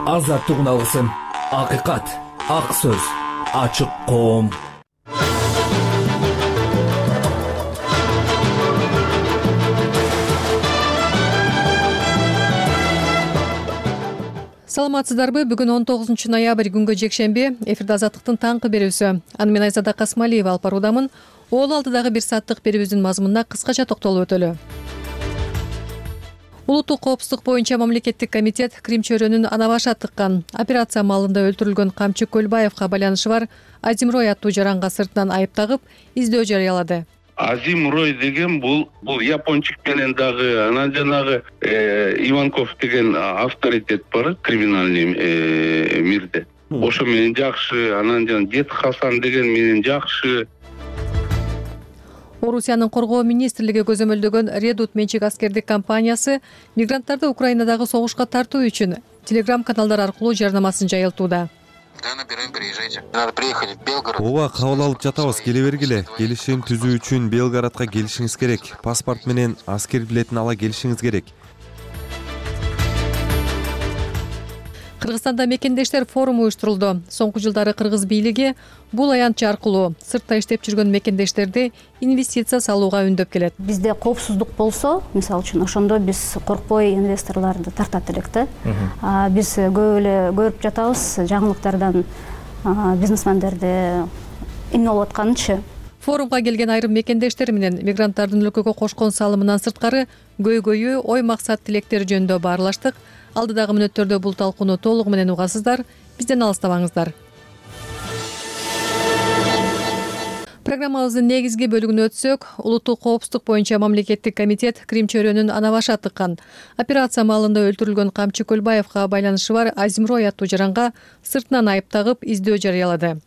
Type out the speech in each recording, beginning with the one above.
азаттыгын алгысың. Акыйкат, ак сөз, ачык коом. Саламатсыздарбы? Бүгүн 19 ноябрь күнгө жекшемби. Эфирде азаттыктын таңкы берүүсү. Аны мен Айзада Касмалиева алып баруудамын. Ол алдыдагы бир сааттык берүүбүздүн мазмунуна кыскача токтолуп өтөлү. Улуттук коопсуздук боюнча мамлекеттик комитет Крим чөйрөнүн ана башы тыккан операция маалында өлтүрүлгөн Камчы Көлбаевга байланышы бар Азимрой аттуу жаранга сыртынан айып тагып, издөө жарыялады. Азимрой деген бул япончук менен дагы анан жанагы Иванков деген авторитет бар криминальный мирде. Ошо менен жакшы, анан жана Дед Хасан деген менен жакшы. Орусиянын коргоо министрлиги көзөмөлдөгөн Редут менчик аскердик компаниясы мигранттарды Украинадагы согушка тартуу үчүн телеграм-каналдар аркылуу жарнамасын жайылтууда. Надо приехать в Белгород. Ооба, кабыл алып жатабыз, келе бергиле. Келишим түзүү үчүн Белгородко келишиңиз керек. Паспорт менен аскер билетин ала келишиңиз керек. Кыргызстанда мекендештер форуму уюштурулду. Соңку жылдары кыргыз бийлиги бул аянтча аркылуу сыртта иштеп жүргөн мекендештерди инвестиция салууга үндөп келет. Бизде коопсуздук болсо, мисалы үчүн, ошондо биз коркпой инвесторлорду тартат элек да. Биз көп эле көрүп жатабыз жаңылыктардан бизнесмендерди эмне болуп атканынчы. Форумга келген айрым мекендештер менен мигранттардын өлкөгө кошкон салымынан сырткары көйгөйү, ой максат тилектери жөнүндө баарлаштык. Алдыдагы мүнөттөрдө бул талкууну толугу менен угасыздар. Бизден алыстабаңыздар. Программабыздын негизги бөлүгүнө өтсөк, улуттук коопсуздук боюнча мамлекеттик комитет Крим чөйрөнүн ана башы тыккан операция маалында өлтүрүлгөн Камчы Көлбаевга байланышы бар Азимрой аттуу жаранга сыртынан айып тагып, издөө жарыялады.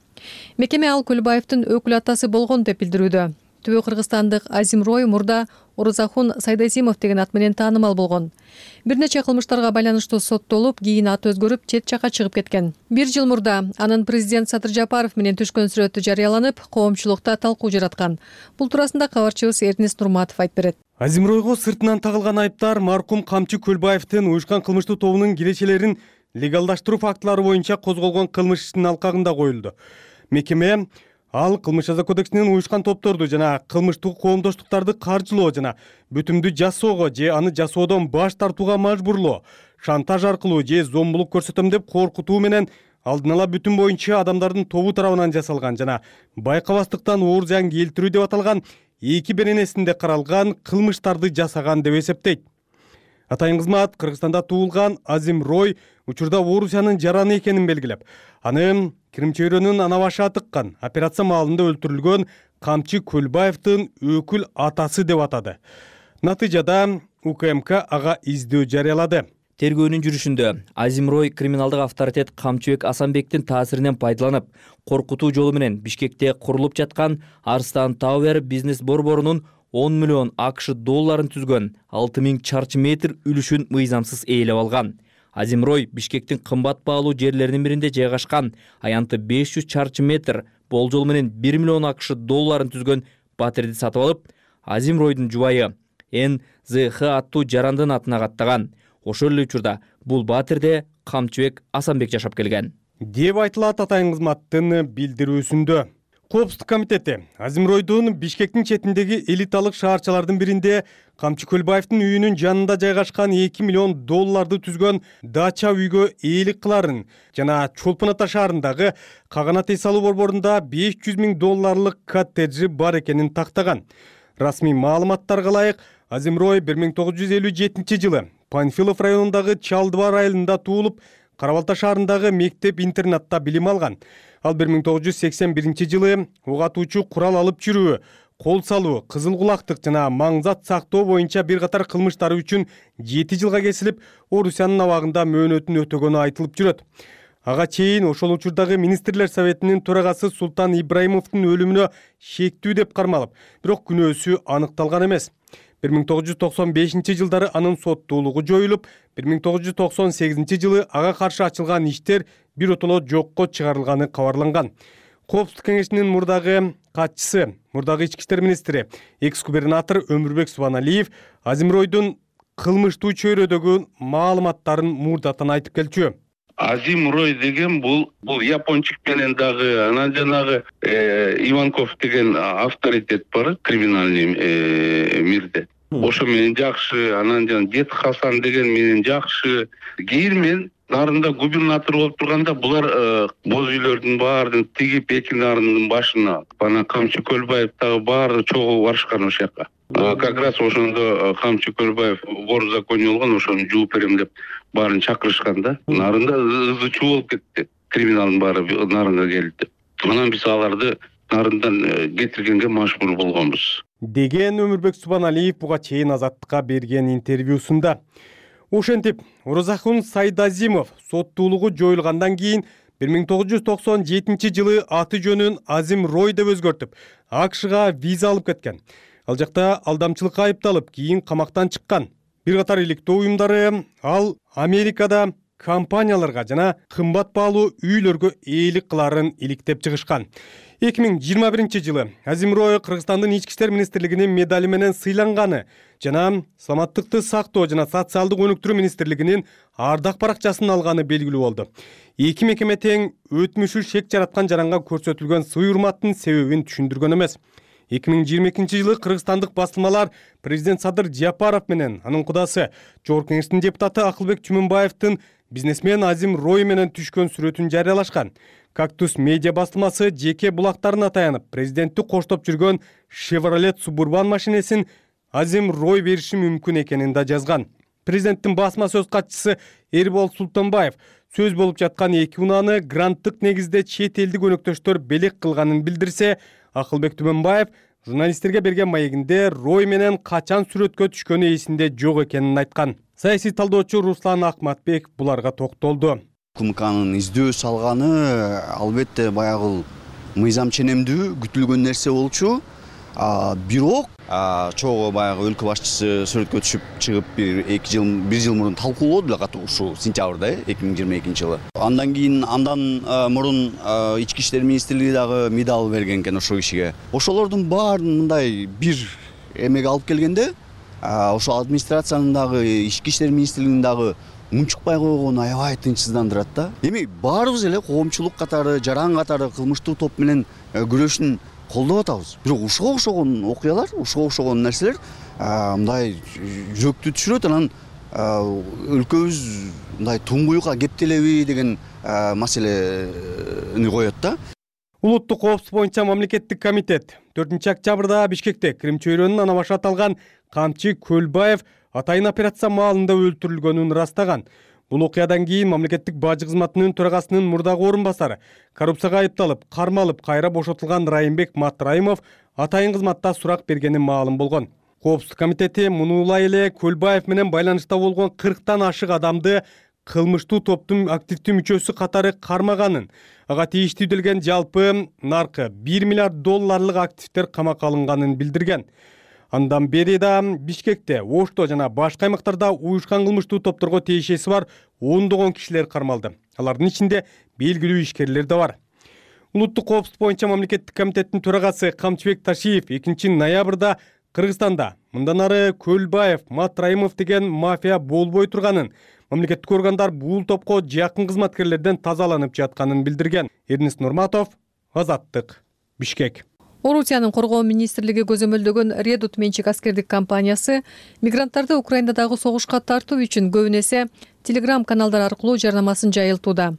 Мекеме ал Көлбаевдин өкүл атасы болгон деп билдирүүдө. Түбө кыргызстандык Азимрой мурда Орузахун Сайдазимов деген ат менен таанымал болгон. Бир нече кылмыштарга байланыштуу соттолуп, кийин аты өзгөрүп, чет жакка чыгып кеткен. Бир жыл мурда анын президент Садыр Жапаров менен түшкөн сүрөтү жарыяланып, коомчулукта талкуу жараткан. Бул туурасында кабарчыбыз Эрнест Нурматов айтып берет. Азимройго сыртынан тагылган айыптар маркум Камчы Көлбаевдин уюшкан кылмыштуу тобунун кирешелерин легалдаштыруу фактылары боюнча козголгон кылмыш ишинин алкагында коюлду. Мекеме ал кылмыш жаза кодексинин уюшкан топторду жана кылмыштык коомдоштуктарды каржылоо жана бүтүмдү жасоого же аны жасоодон баш тартууга мажбурлоо, шантаж аркылуу же зомбулук көрсөтөм деп коркутуу менен алдын ала бүтүм боюнча адамдардын тобу тарабынан жасалган жана байкабастыктан оор зыян келтирүү деп аталган эки беренесинде каралган кылмыштарды жасаган деп эсептейт. Атайын кызмат Кыргызстанда туулган Азимрой учурда Орусиянын жараны экенин белгилеп, аны Крим чөйрөнүн ана башы тыккан операция маалында өлтүрүлгөн Камчы Көлбаевдин өкүл атасы деп атады. Натыйжада УКМК ага издөө жарыялады. Тергөөнүн жүрүшүндө Азимрой криминалдык авторитет Камчыбек Асанбектин таасиринен пайдаланып, коркутуу жолу менен Бишкекте курулуп жаткан Арстан Тауэр бизнес борборунун 10 миллион АКШ долларын түзгөн 6000 чарчы метр үлүшүн мыйзамсыз ээлеп алган. Азимрой Бишкектин кымбат баалуу жерлеринин биринде жайгашкан аянты 500 чарчы метр болжол менен 1 миллион АКШ долларын түзгөн батирди сатып алып, Азимройдун жубайы НЗХ аттуу жарандын атына каттаган. Ошол эле учурда бул батирде Камчыбек Асанбек жашап келген деп айтылат атайын кызматтын билдирүүсүндө. Коопсуздук комитети Азимройдун Бишкектин четиндеги элиталык шаарчалардын биринде Камчы Көлбаевдин үйүнүн жанында жайгашкан 2 миллион долларды түзгөн дача үйгө ээлик кыларын жана Чолпон Ата шаарындагы Каганат эс алуу борборунда 500 000 долларлык коттеджи бар экенин тактаган. Расмий маалыматтарга ылайык, Азимрой 1957 жылы Панфилов районундагы Чалдыбар айылында туулуп, Карабалта шаарындагы мектеп-интернатта билим алган. Ал 1981 жылы ок атуучу курал алып жүрүү, кол салуу, кызыл кулактык жана маңзат сактоо боюнча бир катар кылмыштары үчүн 7 жылга кесилип, Орусиянын абагында мөөнөтүн өтөгөнү айтылып жүрөт. Ага чейин ошол учурдагы министрлер советинин төрагасы Султан Ибраимовдун өлүмүнө шектүү деп кармалып, бирок күнөөсү аныкталган эмес. 1995 жылдары анын соттуулугу жоюлуп, 1998 жылы ага каршы ачылган иштер биротоло жокко чыгарылганы кабарланган. Коопсуздук кеңешинин мурдагы катчысы, мурдагы ички иштер министри, экс-губернатор Өмүрбек Субаналиев Азимройдун кылмыштуу чөйрөдөгү маалыматтарын мурдатан айтып келчү. Азимрой деген бул япончук менен дагы анан жанагы Иванков деген авторитет бар криминальный мирде. Ошо менен жакшы, анан жана Дед Хасан деген менен жакшы. Кийин мен нарында губернатор болуп турганда булар боз үйлөрдүн баарын тигип эки нарындын башына бана Камчы Көлбаев дагы баары чогуу барышкан ошол жака. Как раз ошондо Камчы Көлбаев вор в законе болгон, ошону жууп берем деп баарын чакырышкан да. Нарында ызы чуу болуп кетти. Криминалдын баары нарынга келди. Анан биз аларды нарындан кетиргенге мажбур болгонбуз деген Өмүрбек Субаналиев буга чейин Азаттыкка берген интервьюсунда. Ошентип, Оразакун Сайдазимов соттуулугу жоюлгандан кийин 1997 аты жөнүн Азимрой деп өзгөртүп, АКШга виза алып кеткен. Ал жакта алдамчылыкка айыпталып, кийин камактан чыккан. Бир катар иликтөө уюмдары ал Америкада компанияларга жана кымбат баалуу үйлөргө ээлик кыларын иликтеп чыгышкан. 2021 Азимрой Кыргызстандын Ички иштер министрлигинин медали менен сыйланганы жана Саламаттыкты сактоо жана социалдык өнүктүрүү министрлигинин ардак баракчасын алганы белгилүү болду. Эки мекеме тең өтмүшү шек жараткан жаранга көрсөтүлгөн сый урматтын себебин түшүндүргөн эмес. 2022 кыргызстандык басылмалар президент Садыр Жапаров менен анын кудасы Жогорку Кеңештин депутаты Акылбек Чүмүнбаевдин бизнесмен Азимрой менен түшкөн сүрөтүн жарыялашкан. Кактус медиа басылмасы жеке булактарына таянып, президентти коштоп жүргөн Chevrolet Suburban машинесин Азимрой бериши мүмкүн экенин да жазган. Президенттин басма сөз катчысы Эрбол Султанбаев сөз болуп жаткан эки унааны гранттык негизде чет элдик өнөктөштөр белек кылганын билдирсе, Акылбек Түмөнбаев журналисттерге берген маегинде Рой менен качан сүрөткө түшкөнү эсинде жок экенин айткан. Саясий талдоочу Руслан Акматбек буларга токтолду. КМКнын издөө салганы албетте баягы мыйзам ченемдүү күтүлгөн нерсе болчу. Бирок чогуу баягы өлкө башчысы сүрөткө түшүп чыгып бир жыл мурун талкуулоду деле катуу ушул сентябрда 2022 жылы. Андан кийин мурун Ички иштер министрлиги дагы медал берген экен ошол кишиге. Ошолордун баарын мындай бир эмеге алып келгенде, ошол администрациянын дагы Ички иштер министрлигинин дагы унчукпай койгону аябай тынчсыздандырат да. Эми баарыбыз эле коомчулук катары, жаран катары кылмыштуу топ менен күрөшүн колдоп атабыз. Бирок ушуга окшогон окуялар, ушуга окшогон нерселер мындай жүрөктү түшүрөт, анан өлкөбүз мындай туңгуюкка кептелеби деген маселени коет да. Улуттук коопсуздук боюнча мамлекеттик комитет 4-октябрда Бишкекте Крим чөйрөнүн ана башы аталган Камчы Көлбаев атайын операция маалында өлтүрүлгөнүн ырастаган. Бул окуядан кийин мамлекеттик бажы кызматынын төрагасынын мурдагы орун басары коррупцияга айыпталып, кармалып, кайра бошотулган Райымбек Матраимов атайын кызматта сурак бергени маалым болгон. Коопсуздук комитети мунулай эле Көлбаев менен байланышта болгон 40тан ашык адамды кылмыштуу топтун активдүү мүчөсү катары кармаганын, ага тийиштүү делген жалпы наркы $1 миллиард активдер камакка алынганын билдирген. Андан бери да Бишкекте, Ошто жана башка аймактарда уюшкан кылмыштуу топторго тиешеси бар ондогон кишилер кармалды. Алардын ичинде белгилүү ишкерлер да бар. Улуттук коопсуздук боюнча мамлекеттик комитеттин төрагасы Камчыбек Ташиев 2 ноябрда Кыргызстанда мындан ары Көлбаев, Матраимов деген мафия болбой турганын, мамлекеттик органдар бул топко жакын кызматкерлерден тазаланып жатканын билдирген. Эрнест Нурматов, Азаттык, Бишкек. Орусиянын коргоо министрлиги көзөмөлдөгөн Редут менчик аскердик компаниясы мигранттарды Украинадагы согушка тартуу үчүн көбүн эсе Telegram каналдар аркылуу жарнамасын жайылтууда.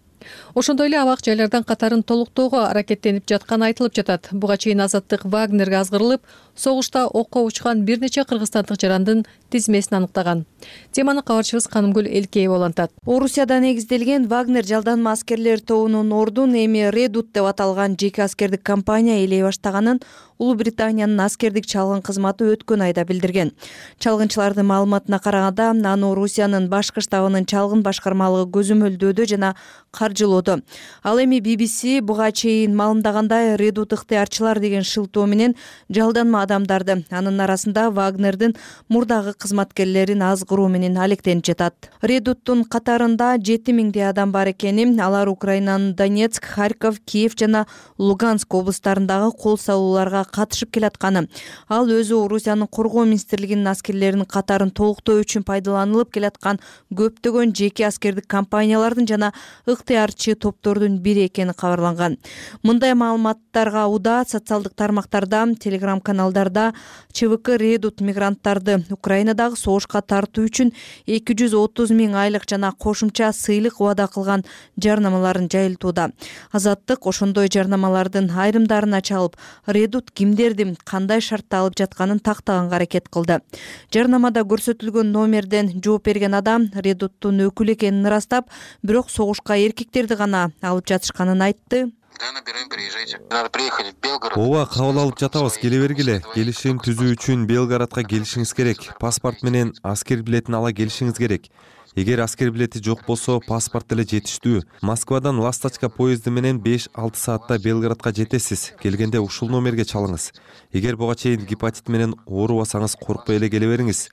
Ошондой эле абак жайлардан катарын толуктоого аракеттенип жатканы айтылып жатат. Буга чейин Азаттык Вагнерге азгырылып, согушта окко учкан бир нече кыргызстандык жарандын тизмесин аныктаган. Теманы кабарчыбыз Канымгүл Элкеева улантат. Орусияда негизделген Вагнер жалданма аскерлер тобунун ордун эми Редут деп аталган жеке аскердик компания ээлей баштаганын Улуу Британиянын аскердик чалгын кызматы өткөн айда билдирген. Чалгынчылардын маалыматына караганда, аны Орусиянын башкы штабынын чалгын башкармалыгы көзөмөлдөөдө жана каржылоодо. Ал эми BBC буга чейин маалымдагандай Редут ыктыярчылар деген шылтоо менен жалданма адамдарды, анын арасында Вагнердин мурдагы кызматкерлерин азгыруу менен алектенип жатат. Редуттун катарында 7000 адам бар экени, алар Украинанын Донецк, Харьков, Киев жана Луганск облустарындагы кол салууларга катышып келатканы, ал өзү Орусиянын коргоо министрлигинин аскерлеринин катарын толуктоо үчүн пайдаланылып келаткан көптөгөн жеке аскердик компаниялардын жана ыктыярчы топтордун бири экени кабарланган. Мындай маалыматтарга уда социалдык тармактарда, телеграм каналдарда ЧВК Редут мигранттарды Украинадагы согушка тартуу үчүн 230 000 айлык жана кошумча сыйлык убада кылган жарнамаларын жайылтууда. Азаттык ошондой жарнамалардын айрымдарына чалып, Редут кимдерди кандай шартта алып жатканын тактаганга аракет кылды. Жарнамада көрсөтүлгөн номерден жооп берген адам Редуттун өкүлү экенин ырастап, бирок согушка эркектерди гана алып жатышканын айтты. Да, набираем, приезжайте. Надо приехать в Белгород. Ооба, кабыл алып жатабыз, келе бергиле. Келишим түзүү үчүн Белгородко келишиңиз керек. Паспорт менен аскер билетин ала келишиңиз керек. Эгер аскер билети жок болсо, паспорт деле жетиштүү. Москвадан Ласточка поезди менен 5-6 саатта Белгородко жетесиз. Келгенде ушул номерге чалыңыз. Эгер буга чейин гепатит менен оорубасаңыз, коркпой эле келе бериңиз.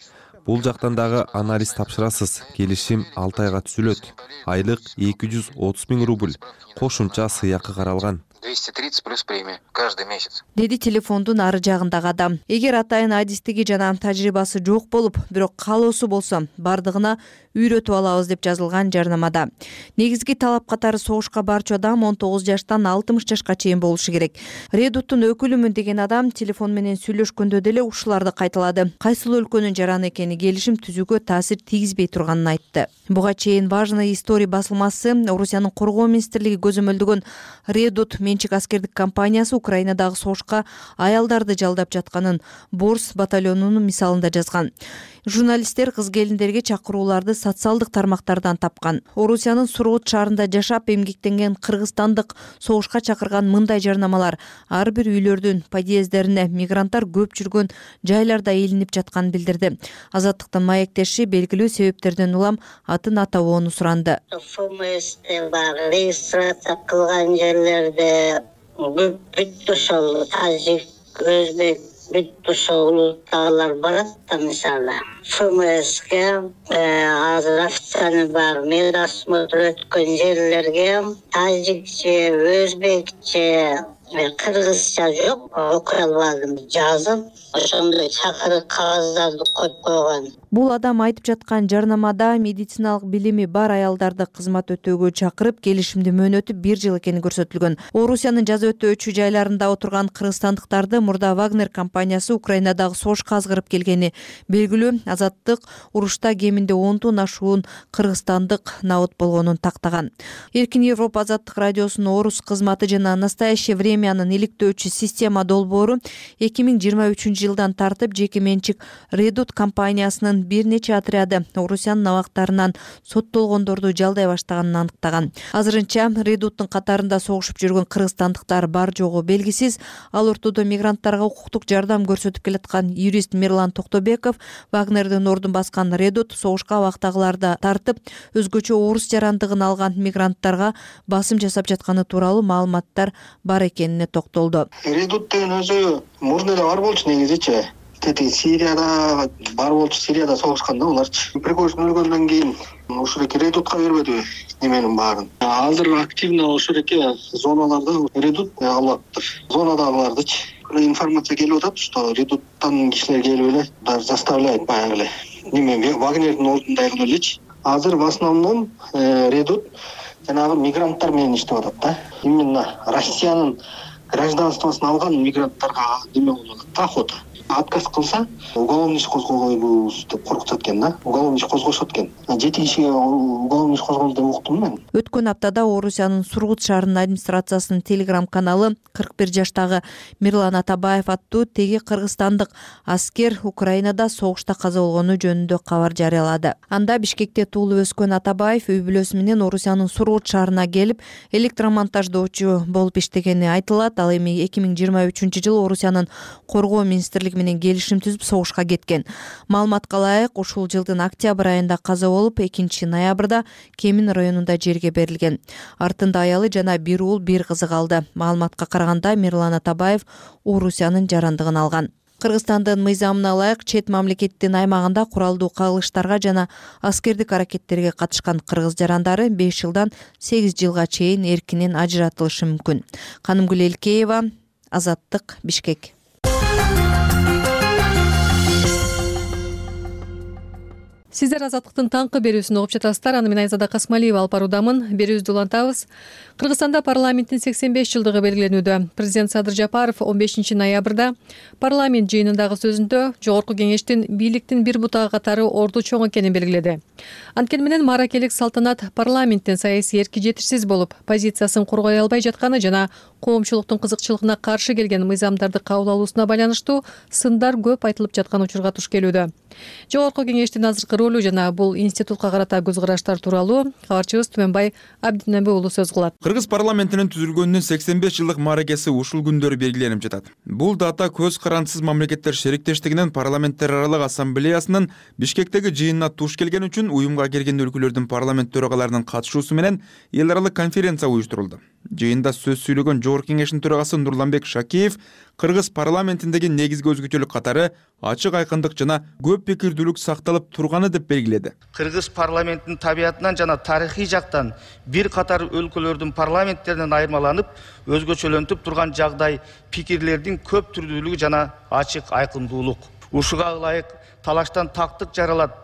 Бул жактан дагы анализ тапшырасыз. Келишим 6 айга түзүлөт. Айлык 230 000 рубль. Кошумча сыйакы каралган. 230 плюс премия каждый месяц. Деди телефондун ары жагындагы адам. Эгер атайын адистиги жана тажрыйбасы жок болуп, бирок каалоосу болсо, бардыгына үйрөтүп алабыз деп жазылган жарнамада. Негизги талап катары согушка барчу адам 19 жаштан 60 жашка чейин болушу керек. Редуттун өкүлүмүн деген адам телефон менен сүйлөшкөндө деле ушуларды кайталады. Кайсыл өлкөнүн жараны экени келишим түзүүгө таасир тийгизбей турганын айтты. Буга чейин Важная история басылмасы Орусиянын коргоо министрлиги көзөмөлдөгөн Редут менчик аскердик компаниясы Украинадагы согушка аялдарды жалдап жатканын Борс батальонунун мисалында жазган. Журналисттер кыз келиндерге чакырууларды социалдык тармактардан тапкан. Орусиянын Сургут шаарында жашап эмгектенген кыргызстандык согушка чакырган мындай жарнамалар ар бир үйлөрдүн подъезддерине мигранттар көп жүргөн жайларда илинип жатканын билдирди. Азаттыктын маектеши белгилүү себептерден улам атын атабоону суранды. ФМСте бар, регистрация кылган жерлерде бүт ошол тажик, өзбек, бүт ошол улуттагылар барат да, мисалы. ФМСке азыр официальный бар, медосмотр өткөн жерлерге тажикче, өзбекче, кыргызча жок, окуй албадым. Жазып, ошондой чакырык кагаздарды коюп койгон. Бул адам айтып жаткан жарнамада медициналык билими бар аялдарды кызмат өтөөгө чакырып, келишимди мөөнөтү 1 жыл экени көрсөтүлгөн. Орусиянын жаза өтөөчү жайларында отурган кыргызстандыктарды мурда Вагнер компаниясы Украинадагы согушка азгырып келгени белгилүү. Азаттык урушта кеминде 10 ашуун кыргызстандык набыт болгонун тактаган. Эркин Европа азаттык радиосунун орус кызматы жана Настоящее времянын иликтөөчү система долбоору 2023 жылдан тартып жеке менчик Редут компаниясынын бир нече отряды Орусиянын абактарынан соттолгондорду жалдай баштаганын аныктаган. Азырынча Редуттун катарында согушуп жүргөн кыргызстандыктар бар жогу белгисиз. Ал ортодо мигранттарга укуктук жардам көрсөтүп келаткан юрист Мирлан Токтобеков Вагнердин ордун баскан Редут согушка абактагыларды тартып, өзгөчө орус жарандыгын алган мигранттарга басым жасап жатканы тууралуу маалыматтар бар экенине токтолду. Редут деген өзү мурда эле бар болчу негизичи. Сирияда бар болчу, Сирияда согушканда буларчы. Пригожин өлгөндөн кийин ушул эки Редутка бербедиби неменин баарын. Азыр активно ушул эки зоналарда Редут алаттыр. Зонадагылардычы информация келип атат, что Редуттан кишилер келип эле заставляет баягы эле неме Вагнердин ордундай кылып элечи. Азыр в основном Редут жанагы мигранттар менен иштеп атат да. Именно Россиянын гражданствосын алган мигранттарга неме болуп атат, охота. Отказ кылса, уголовный иш козгойбуз деп коркутат экен да. Уголовный иш козгошот экен. 7 кишиге уголовный иш козголду деп уктум мен. Өткөн аптада Орусиянын Сургут шаарынын администрациясынын телеграм каналы 41 жаштагы Мирлан Атабаев аттуу теги кыргызстандык аскер Украинада согушта каза болгону жөнүндө кабар жарыялады. Анда Бишкекте туулуп өскөн Атабаев үй бүлөсү менен Орусиянын Сургут шаарына келип, электромонтаждоочу болуп иштегени айтылат. Ал эми 2023-жылы Орусиянын коргоо министрлиги менен келишим түзүп согушка кеткен. Маалыматка ылайык, ушул жылдын октябрь айында каза болуп, 2-ноябрда Кемин районунда жерге берилген. Артында аялы жана бир уул, бир кызы калды. Маалыматка караганда Мирлан Атабаев Орусиянын жарандыгын алган. Кыргызстандын мыйзамына ылайык чет мамлекеттин аймагында куралдуу кагылыштарга жана аскердик аракеттерге катышкан кыргыз жарандары 5 жылдан 8 жылга чейин эркинен ажыратылышы мүмкүн. Канымгүл Элкеева, Азаттык, Бишкек. Сиздер Азаттыктын таңкы берүүсүн угуп жатасыздар. Аны мен Айзада Касмалиева алып баруудамын. Берүүбүздү улантабыз. Кыргызстанда парламенттин 85 жылдыгы белгиленүүдө. Президент Садыр Жапаров 15 ноябрда парламент жыйынындагы сөзүндө Жогорку Кеңештин бийликтин бир бутагы катары орду чоң экенин белгиледи. Анткени менен маракелик салтанат парламенттин саясий эрки жетишсиз болуп, позициясын коргой албай жатканы жана коомчулуктун кызыкчылыгына каршы келген мыйзамдарды кабыл алуусуна байланыштуу сындар көп айтылып жаткан учурга туш келүүдө. Жогорку Кеңештин азыркы ролу жана бул институтка карата көз караштар тууралуу кабарчыбыз Түмөнбай Абдинеби уулу сөз кылат. Кыргыз парламентинин түзүлгөнүнүн 85 жылдык мааракеси ушул күндөрү белгиленип жатат. Бул дата көз карандысыз мамлекеттер шериктештигинин парламенттер аралык ассамблеясынын Бишкектеги жыйынына туш келген үчүн уюмга кирген өлкөлөрдүн парламент төрагаларынын катышуусу менен эл аралык конференция уюштурулду. Жыйында сөз сүйлөгөн Жогорку Кеңештин төрагасы Нурланбек Шакеев Кыргыз парламентиндеги негизги өзгөчөлүк катары ачык айкындык жана көп пикирдүүлүк сакталып турганы деп белгиледи. Кыргыз парламентинин табиятынан жана тарыхый жактан бир катар өлкөлөрдүн парламенттеринен айырмаланып, өзгөчөлөнтүп турган жагдай пикирлердин көп түрдүүлүгү жана ачык айкындуулук. Ушуга ылайык талаштан тактык жаралат.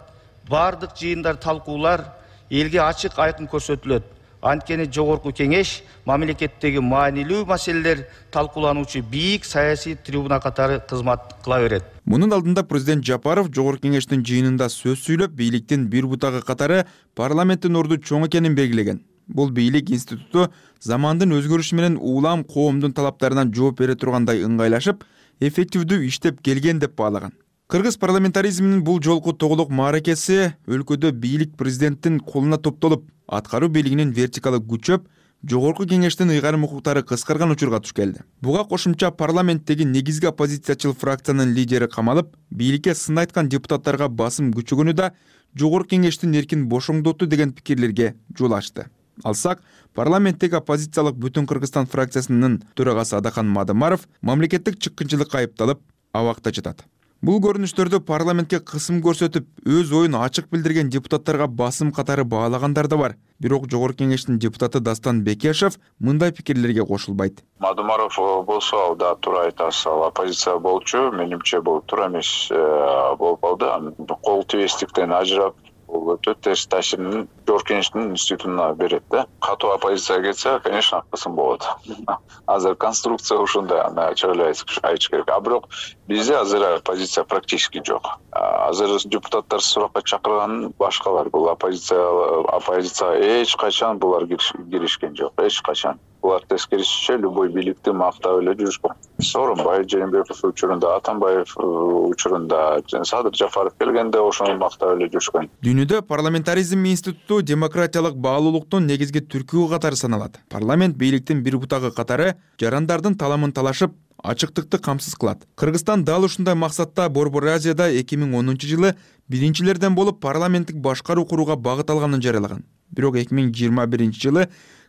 Бардык жыйындар, талкуулар элге ачык айкын көрсөтүлөт. Анткени Жогорку Кеңеш мамлекеттеги маанилүү маселелер талкуулануучу бийик саясий трибуна катары кызмат кыла берет. Мунун алдында президент Жапаров Жогорку Кеңештин жыйынында сөз сүйлөп, бийликтин бир бутагы катары парламенттин орду чоң экенин белгилеген. Бул бийлик институту замандын өзгөрүшү менен улам коомдун талаптарына жооп бере тургандай ыңгайлашып, эффективдүү иштеп келген деп баалаган. Кыргыз парламентаризминин бул жолку тоголук мааракеси өлкөдө бийлик президенттин колуна топтолуп, аткаруу бийлигинин вертикалы күчөп, Жогорку Кеңештин ыйгарым укуктары кыскарган учурга туш келди. Буга кошумча парламенттеги негизги оппозициячыл фракциянын лидери камалып, бийликке сын айткан депутаттарга басым күчөгөнү да Жогорку Кеңештин эркин бошоңдоту деген пикирлерге жол ачты. Алсак, парламенттеги оппозициялык Бүтүн Кыргызстан фракциясынын төрагасы Адахан Мадымаров мамлекеттик чыккынчылыкка айыпталып, абакта жатат. Бул көрүнүштөрдө парламентке кысым көрсөтүп, өз оюн ачык билдирген депутаттарга басым катары баалагандар да бар. Бирок Жогорку Кеңештин депутаты Дастан Бекешев мындай пикирлерге кошулбайт. Мадымаров болсо, ал да туура айтасыз, ал оппозиция болчу, менимче бул туура эмес болуп калды. Кол тийбестиктен ажырап, бул өтө терс таасирин Жогорку Кеңештин институтуна берет да. Катуу оппозиция кетсе, конечно, кысым болот. Азыр конструкция ушундай, аны ачык эле айтыш керек. А бирок бизде азыр оппозиция практически жок. Азыр депутаттар суракка чакырган башкалар. Бул оппозиция эч качан булар киришкен жок, эч качан. Булар тескерисинче любой бийликти мактап эле жүрүшкөн. Сооронбай Жээнбеков учурунда, Атамбаев учурунда, Садыр Жапаров келгенде ошону мактап эле жүрүшкөн. Дүйнөдө парламентаризм институту демократиялык баалуулуктун негизги түркүгү катары саналат. Парламент бийликтин бир бутагы катары жарандардын таламын талашып, ачыктыкты камсыз кылат. Кыргызстан дал ушундай максатта Борбор Азияда 2010-жылы биринчилерден болуп парламенттик башкаруу курууга багыт алганын жарыялаган. Бирок 2021-жылы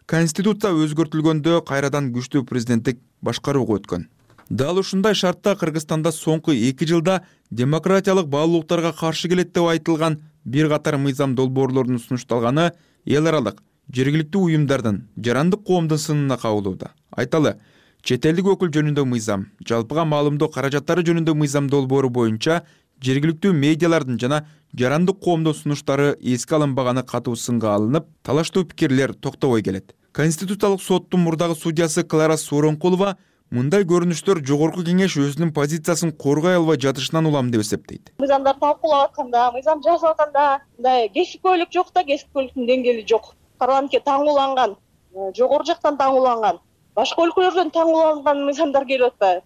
Конституция өзгөртүлгөндө кайрадан күчтүү президенттик башкарууга өткөн. Дал ушундай шартта Кыргызстанда соңку 2 жылда демократиялык баалуулуктарга каршы келет деп айтылган бир катар мыйзам долбоорлорунун сунушталганы эл аралык жергиликтүү уюмдардын, жарандык коомдун сынына кабылууда. Айталы, чет элдик өкүл жөнүндө мыйзам, жалпыга маалымдоо каражаттары жөнүндө мыйзам долбоору боюнча жергиликтүү медиалардын жана жарандык коомдун сунуштары эске алынбаганы катуу сынга алынып, талаштуу пикирлер токтобой келет. Конституциялык соттун мурдагы судьясы Клара Сооронкулова мындай көрүнүштөр Жогорку Кеңеш өзүнүн позициясын коргой албай жатышынан улам деп эсептейт. Мыйзамдар талкуулап атканда, мыйзам жазып атканда мындай кесипкөйлүк жок да, кесипкөйлүктүн деңгээли жок. Парламентке таңууланган, жогору жактан таңууланган, башка өлкөлөрдөн таңууланган мыйзамдар келип атпайбы?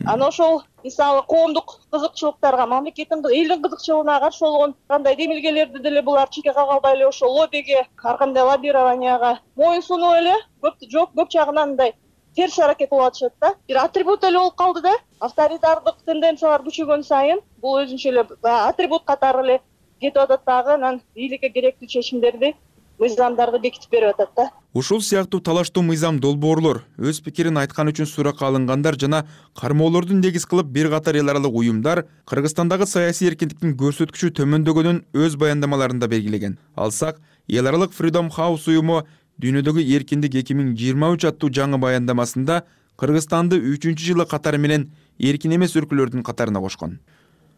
Ана ошол мисалы коомдук кызыкчылыктарга, мамлекеттин, элдин кызыкчылыгына каршы болгон кандай демилгелерди деле булар чекке кага албай эле ошол лоббиге, ар кандай лоббированияга моюн сунуп эле көп жагынан мындай терс аракет кылып атышат да. Бир атрибут эле болуп калды да. Авторитардык тенденциялар күчөгөн сайын бул өзүнчө эле атрибут катары эле кетип атат дагы, анан бийликке керектүү чечимдерди мыйзамдарды бекитип берип атат да. Ушул сыяктуу талаштуу мыйзам долбоорлор, өз пикирин айткан үчүн суракка алынгандар жана кармоолорду негиз кылып бир катар эл аралык уюмдар Кыргызстандагы саясий эркиндиктин көрсөткүчү төмөндөгөнүн өз баяндамаларында белгилеген. Алсак, эл аралык Freedom House уюму Дүйнөдөгү эркиндик 2023 аттуу жаңы баяндамасында Кыргызстанды 3-жылы катары менен эркин эмес өлкөлөрдүн катарына кошкон.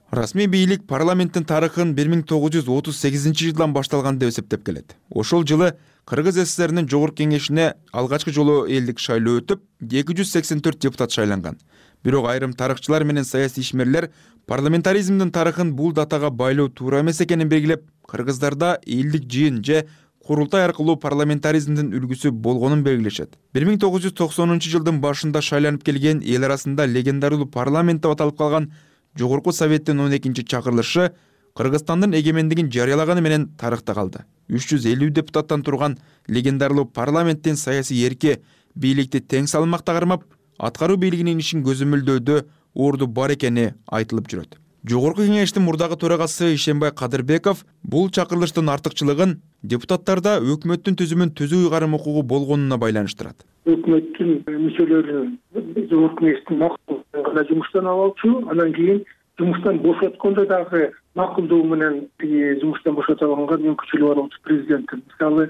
Расмий бийлик парламенттин тарыхын 1938-жылдан башталган деп эсептеп келет. Ошол жылы Кыргыз СССРнин Жогорку Кеңешине алгачкы жолу элдик шайлоо өтүп, 284 депутат шайланган. Бирок айрым тарыхчылар менен саясий ишмерлер парламентаризмдин тарыхын бул датага байлоо туура эмес экенин белгилеп, кыргыздарда элдик жыйын же курултай аркылуу парламентаризмдин үлгүсү болгонун белгилешет. 1990-жылдын башында шайланып келген эл арасында легендардуу парламент деп аталып калган Жогорку Советтин 12-чакырылышы Кыргызстандын эгемендигин жарыялаганы менен тарыхта калды. 350 депутаттан турган легендардуу парламенттин саясий эрки бийликти тең салмакта кармап, аткаруу бийлигинин ишин көзөмөлдөөдө орду бар экени айтылып жүрөт. Жогорку Кеңештин мурдагы төрагасы Ишенбай Кадырбеков бул чакырылыштын артыкчылыгын депутаттарда өкмөттүн түзүмүн түзүү ыйгарым укугу болгонуна байланыштырат. Өкмөттүн мүчөлөрүн Жогорку Кеңештин макулдугуна жумуштан алчу, анан кийин жумуштан бошоткондо дагы макулдугу менен жумуштан бошото алганга мүмкүнчүлүгү бар болчу президенттин. Мисалы,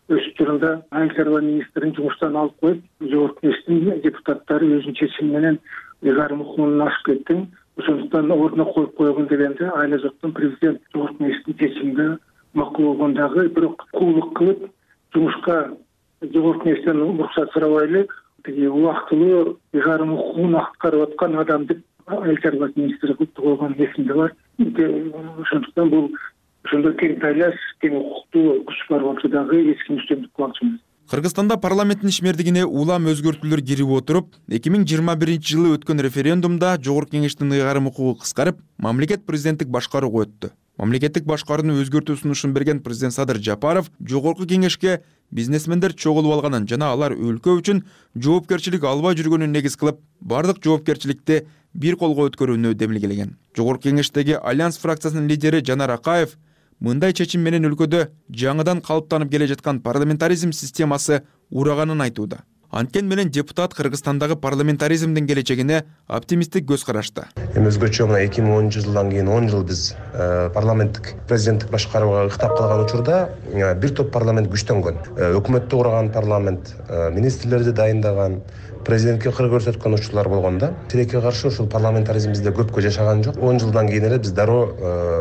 өз учурунда айыл чарба министрин жумуштан алып коюп, Жогорку Кеңештин депутаттары өзүнүн чечими менен ыйгарым укугунан ашып кетти. Ошондуктан ордуна коюп койгон дегенде айла жоктон президент Жогорку Кеңештин чечимине макул болгондагы, бирок куулук кылып жумушка Жогорку Кеңештен уруксат сурабай эле убактылуу ыйгарым укугун аткарып аткан адам деп айыл чарба министри кылып койгон эсимде бар. Ошондуктан бул ошондой тең тайлаш, тең укуктуу күч бар болчу дагы эч ким үстөмдүк кылмакчы эмес. Кыргызстанда парламенттин ишмердигине улам өзгөртүүлөр кирип отуруп, 2021-жылы өткөн референдумда Жогорку Кеңештин ыйгарым укугу кыскарып, мамлекет президенттик башкарууга өттү. Мамлекеттик башкарууну өзгөртүү сунушун берген президент Садыр Жапаров Жогорку Кеңешке бизнесмендер чогулуп алганын жана алар өлкө үчүн жоопкерчилик албай жүргөнүн негиз кылып, бардык жоопкерчиликти бир колго өткөрүүнү демилгелеген. Жогорку Кеңештеги Альянс фракциясынын лидери Жанар Акаев мындай чечим менен өлкөдө жаңыдан калыптанып келе жаткан парламентаризм системасы ураганын айтууда. Анткени менен депутат Кыргызстандагы парламентаризмдин келечегине оптимисттик көз карашты. Өзгөчө мына 2010-жылдан кийин 10 жыл биз парламенттик президенттик башкарууга ыктап калган учурда бир топ парламент күчтөнгөн. Өкмөттү курган парламент, министрлерди дайындаган, президентке кыр көрсөткөн учурлар болгон да. Тилекке каршы ушул парламентаризм бизде көпкө жашаган жок. 10 жылдан кийин эле биз дароо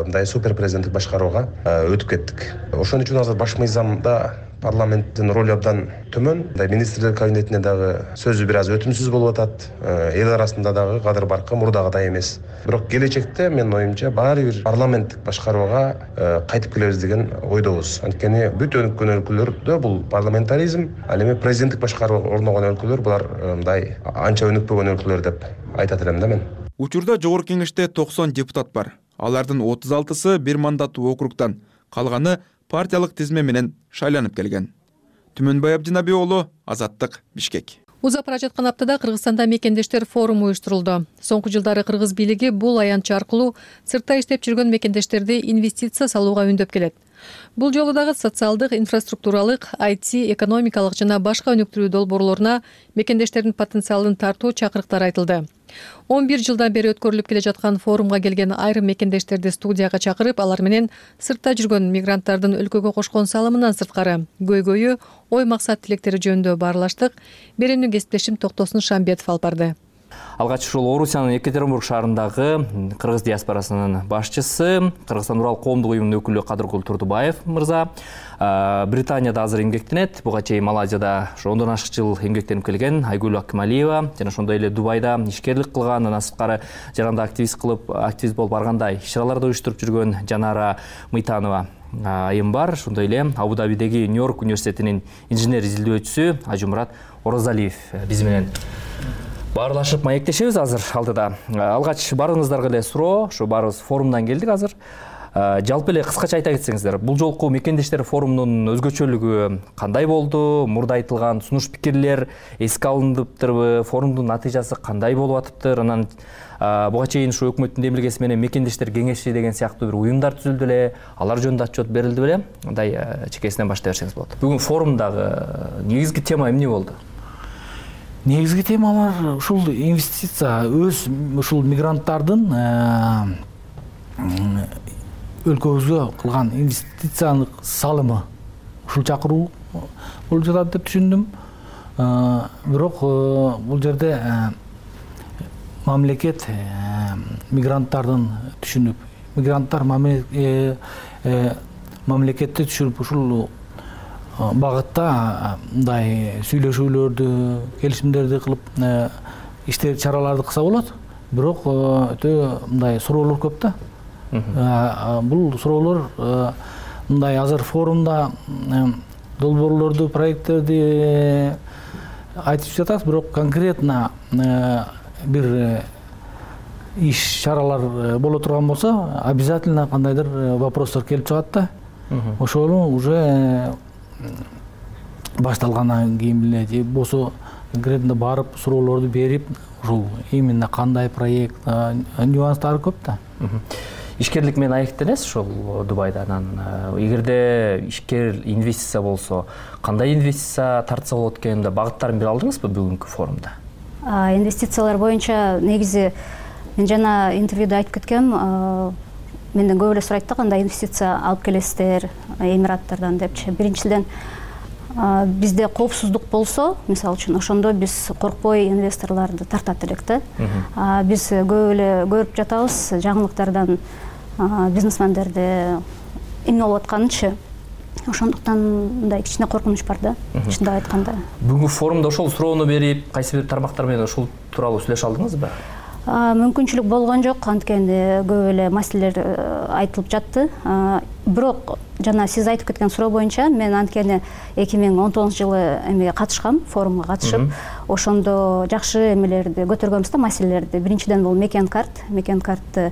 мындай супер президенттик башкарууга өтүп кеттик. Ошон үчүн азыр баш мыйзамда парламенттин ролу абдан төмөн. Министрлер кабинетине дагы сөзү бир аз өтүмсүз болуп атат. Эл арасында дагы кадыр баркы мурдагыдай эмес. Бирок келечекте менин оюмча баары бир парламенттик башкарууга кайтып келебиз деген ойдобуз. Анткени бүт өнүккөн өлкөлөрдө бул парламентаризм, ал эми президенттик башкаруу орногон өлкөлөр булар мындай анча өнүкпөгөн өлкөлөр деп айтат элем да мен. Учурда Жогорку Кеңеште 90 депутат бар. Алардын 36-сы бир мандаттуу округтан, калганы партиялык тизме менен шайланып келген. Түмөнбай Абдинаби уулу, Азаттык, Бишкек. Узап бара жаткан аптада Кыргызстанда мекендештер форуму уюштурулду. Соңку жылдары кыргыз бийлиги бул аянтчы аркылуу сыртта иштеп жүргөн мекендештерди инвестиция салууга үндөп келет. Бул жолу дагы социалдык, инфраструктуралык, IT, экономикалык жана башка өнүктүрүү долбоорлоруна мекендештердин потенциалын тартуу чакырыктар айтылды. 11 жылдан бери өткөрүлүп келе жаткан форумга келген айрым мекендештерди студияга чакырып, алар менен сыртта жүргөн мигранттардын өлкөгө кошкон салымынан сырткары көйгөйү, ой максат тилектери жөнүндө баарлаштык. Берүүнү кесиптешим Токтосун Шамбетов алып барды. Алгач ушул Орусиянын Екатеринбург шаарындагы кыргыз диаспорасынын башчысы, Кыргызстан Урал коомдук уюмунун өкүлү Кадыркул Турдубаев мырза Британияда азыр эмгектенет. Буга чейин Малайзияда 10 ашык жыл эмгектенип келген Айгүл Акмалиева жана ошондой эле Дубайда ишкерлик кылган, андан сырткары жаранда активист болуп баргандай иш-чараларды уюштуруп жүргөн Жанара Мыйтанова айым бар. Ошондой эле Абу-Дабидеги Нью-Йорк университетинин инженер изилдөөчүсү Ажумурат Оразалиев биз менен баарлашып маектешебиз азыр алдыда. Алгач баарыңыздарга эле суроо, ушу баарыбыз форумдан келдик азыр. Жалпы эле кыскача айта кетсеңиздер, бул жолку мекендештер форумунун өзгөчөлүгү кандай болду? Мурда айтылган сунуш пикирлер эске алыныптырбы? Форумдун натыйжасы кандай болуп атыптыр? Анан буга чейин ушу өкмөттүн демилгеси менен мекендештер кеңеши деген сыяктуу бир уюмдар түзүлдү эле, алар жөнүндө отчет берилди беле? Мындай чекесинен баштай берсеңиз болот. Бүгүн форумдагы негизги тема эмне болду? Негизги темалар ушул инвестиция, ушул мигранттардын өлкөбүзгө кылган инвестициялык салымы ушул чакыруу болуп жатат деп түшүндүм. Бирок бул жерде мамлекет мигранттардын түшүнүп, мигранттар мамлекетти түшүнүп ушул багытта мындай сүйлөшүүлөрдү, келишимдерди кылып иштер чараларды кылса болот. Бирок өтө мындай суроолор көп да. Бул суроолор мындай азыр форумда долбоорлорду, проекттерди айтып жатат, бирок конкретно бир иш чаралар боло турган болсо, обязательно кандайдыр вопростор келип чыгат да. Ошону уже башталгандан кийин эле же болсо конкретно барып суроолорду берип, ушул именно кандай проект, нюанстары көп да. Ишкерлик менен аектенесиз ушул Дубайда. Анан эгерде ишкер инвестиция болсо, кандай инвестиция тартса болот экенин багыттарын бере алдыңызбы бүгүнкү форумда? Инвестициялар боюнча негизи мен жана интервьюда айтып кеткем, менден көп эле сурайт да, кандай инвестиция алып келесиздер Эмираттардан депчи. Биринчиден бизде коопсуздук болсо, мисалы үчүн, ошондо биз коркпой инвесторлорду тартат элек да. Биз көп эле көрүп жатабыз жаңылыктардан бизнесмендерди эмне болуп атканынчы. Ошондуктан мындай кичине коркунуч бар да, чындап айтканда. Бүгүнкү форумда ошол суроону берип, кайсы бир тармактар менен ушул тууралуу сүйлөшө алдыңызбы? Мүмкүнчүлүк болгон жок, анткени көп эле маселелер айтылып жатты. Бирок жана сиз айтып кеткен суроо боюнча мен анткени 2019-жылы эмеге катышкам, форумга катышып, ошондо жакшы эмелерди көтөргөнбүз да, маселелерди. Биринчиден бул мекен картты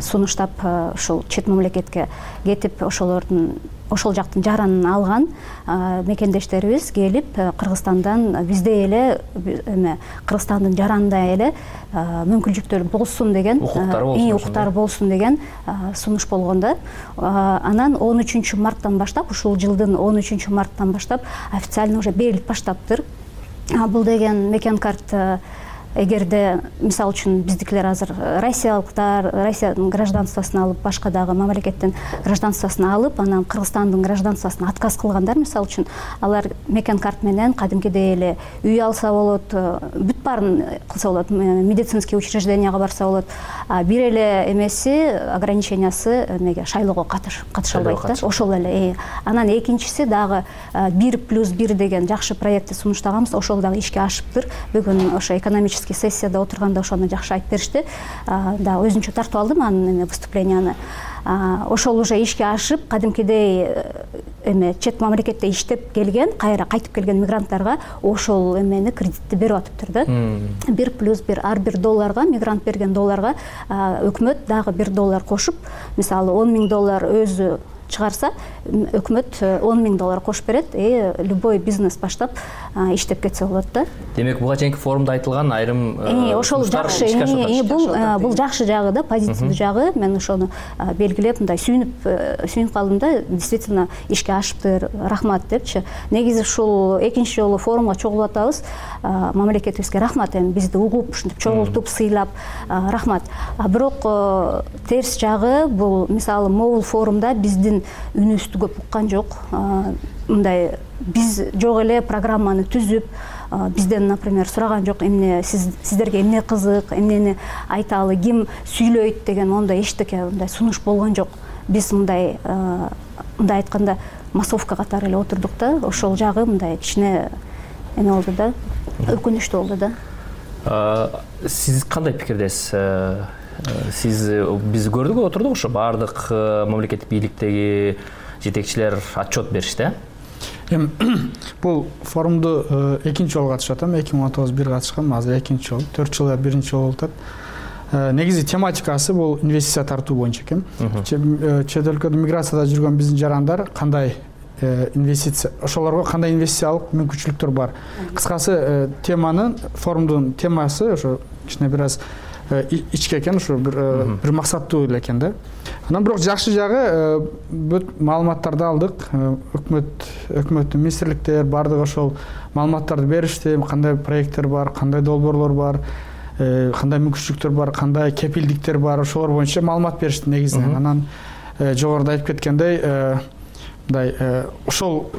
сунуштап ушул чет мамлекетке кетип, ошол жактын жаранын алган мекендештерибиз келип Кыргызстандан бизде эле Кыргызстандын жаранындай эле мүмкүнчүлүктөр болсун деген, укуктары болсун деген сунуш болгон да. Анан 13 марттан баштап, ушул жылдын 13 марттан баштап официально уже берилип баштаптыр. Бул деген мекен карт, эгерде мисалы үчүн биздикилер азыр россиялыктар, Россиянын гражданствосын алып, башка дагы мамлекеттин гражданствосын алып, анан Кыргызстандын гражданствосын отказ кылгандар, мисалы үчүн, алар мекен карт менен кадимкидей эле үй алса болот, бүт баарын кылса болот, медицинский учрежденияга барса болот. Бир эле эмеси, ограничениясы эмеге шайлоого катыша албайт да. Ошол эле. Анан экинчиси дагы 1+1 деген жакшы проектти сунуштаганбыз, ошол дагы ишке ашыптыр. Бүгүн ошо экономический сессияда отурганда ошону жакшы айтып беришти. Да, өзүнчө тартып алдым анын выступленияны. Ошол уже ишке ашып, кадимкидей чет мамлекетте иштеп келген, кайра кайтып келген мигранттарга ошол эмени кредитти берип атыптыр да. 1+1, ар бир долларга, мигрант берген долларга өкмөт дагы $1 кошуп, мисалы $10,000 өзү чыгарса, өкмөт $10,000 кошуп берет, любой бизнес баштап иштеп кетсе болот да. Демек, буга чейинки форумда айтылган айрым ошол жакшы, бул жакшы жагы да, позитивдүү жагы. Мен ошону белгилеп, мындай сүйүнүп калдым да, действительно ишке ашыптыр, рахмат депчи. Негизи ушул экинчи жолу форумга чогулуп атабыз. Мамлекетибизге рахмат, эми бизди угуп, ушинтип чогултуп, сыйлап, рахмат. Бирок терс жагы бул, мисалы, могул форумда биздин үнүбүздү көп уккан жок. Мындай биз жок эле программаны түзүп, бизден, например, сураган жок, эмне сиздерге эмне кызык, эмнени айталы, ким сүйлөйт деген ондай эчтеке мындай сунуш болгон жок. Биз мындай айтканда массовка катары эле отурдук да. Ошол жагы мындай кичине эме болду да, өкүнүчтүү болду да. Сиз кандай пикирдесиз? Биз көрдүк, отурдук, ошо баардык мамлекеттик бийликтеги жетекчилер отчет беришти. Бул форумду экинчи жолу катышып атам. 2019 бир катышкам, азыр экинчи жолу. 4 жыл биринчи жолу болуп атат. негизи тематикасы бул инвестиция тартуу боюнча экен. Чет өлкөдө миграцияда жүргөн биздин жарандар кандай инвестиция, ошолорго кандай инвестициялык мүмкүнчүлүктөр бар. Кыскасы теманын, форумдун темасы ошо кичине бир аз ичке экен, ошо бир максаттуу эле экен да. Анан бирок жакшы жагы бүт маалыматтарды алдык. Өкмөттүн министрликтер бардыгы ошол маалыматтарды беришти. Кандай проекттер бар, кандай долбоорлор бар, кандай мүмкүнчүлүктөр бар, кандай кепилдиктер бар, ошолор боюнча маалымат беришти негизинен. Анан жогоруда айтып кеткендей, мындай ошол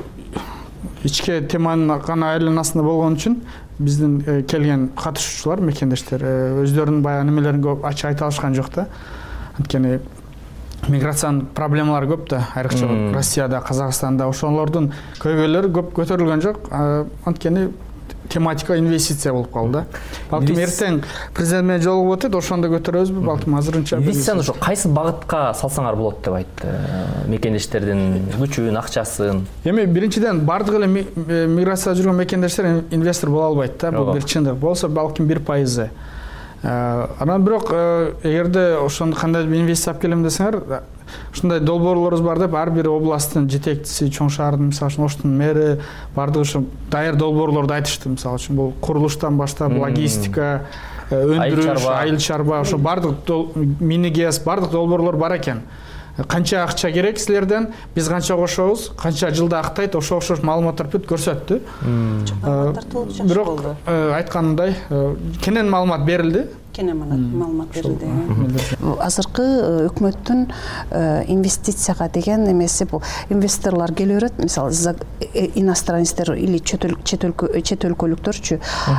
ичке теманын гана айланасында болгон үчүн биздин келген катышуучулар, мекендештер өздөрүнүн баягы немелерин көп ачык айта алышкан жок да. Анткени миграциянын проблемалары көп да, айрыкча Россияда, Казакстанда ошолордун көйгөйлөрү көп көтөрүлгөн жок. Анткени тематика инвестиция болуп калды да. Балким эртең президент менен жолугуп өтөт, ошондо көтөрөбүзбү, балким азырынча. Инвестицияны ошо кайсы багытка салсаңар болот деп айтты мекендештердин күчүн, акчасын? Эми биринчиден бардык эле миграцияда жүргөн мекендештер инвестор боло албайт да. Бул бир чындык. Болсо балким 1%. Анан бирок эгерде ошондо кандай инвестиция алып келем десеңер, ушундай долбоорлорубуз бар деп ар бир областтын жетекчиси, чоң шаардын, мисалы үчүн Оштун мэри бардыгы ушу даяр долбоорлорду айтышты. Мисалы үчүн бул курулуштан баштап логистика, өндүрүш, айыл чарба, ошо бардык мини-ГЭС, бардык долбоорлор бар экен. Канча акча керек силерден, биз канча кошобуз, канча жылда актайт, ошо маалыматтар бүт көрсөттү. Бирок айтканымдай кенен маалымат берилди. Маалымат берилди. Азыркы өкмөттүн инвестицияга деген эмеси бул инвесторлор келе берет, мисалы иностранецтер или чет өлкөлүктөрчү.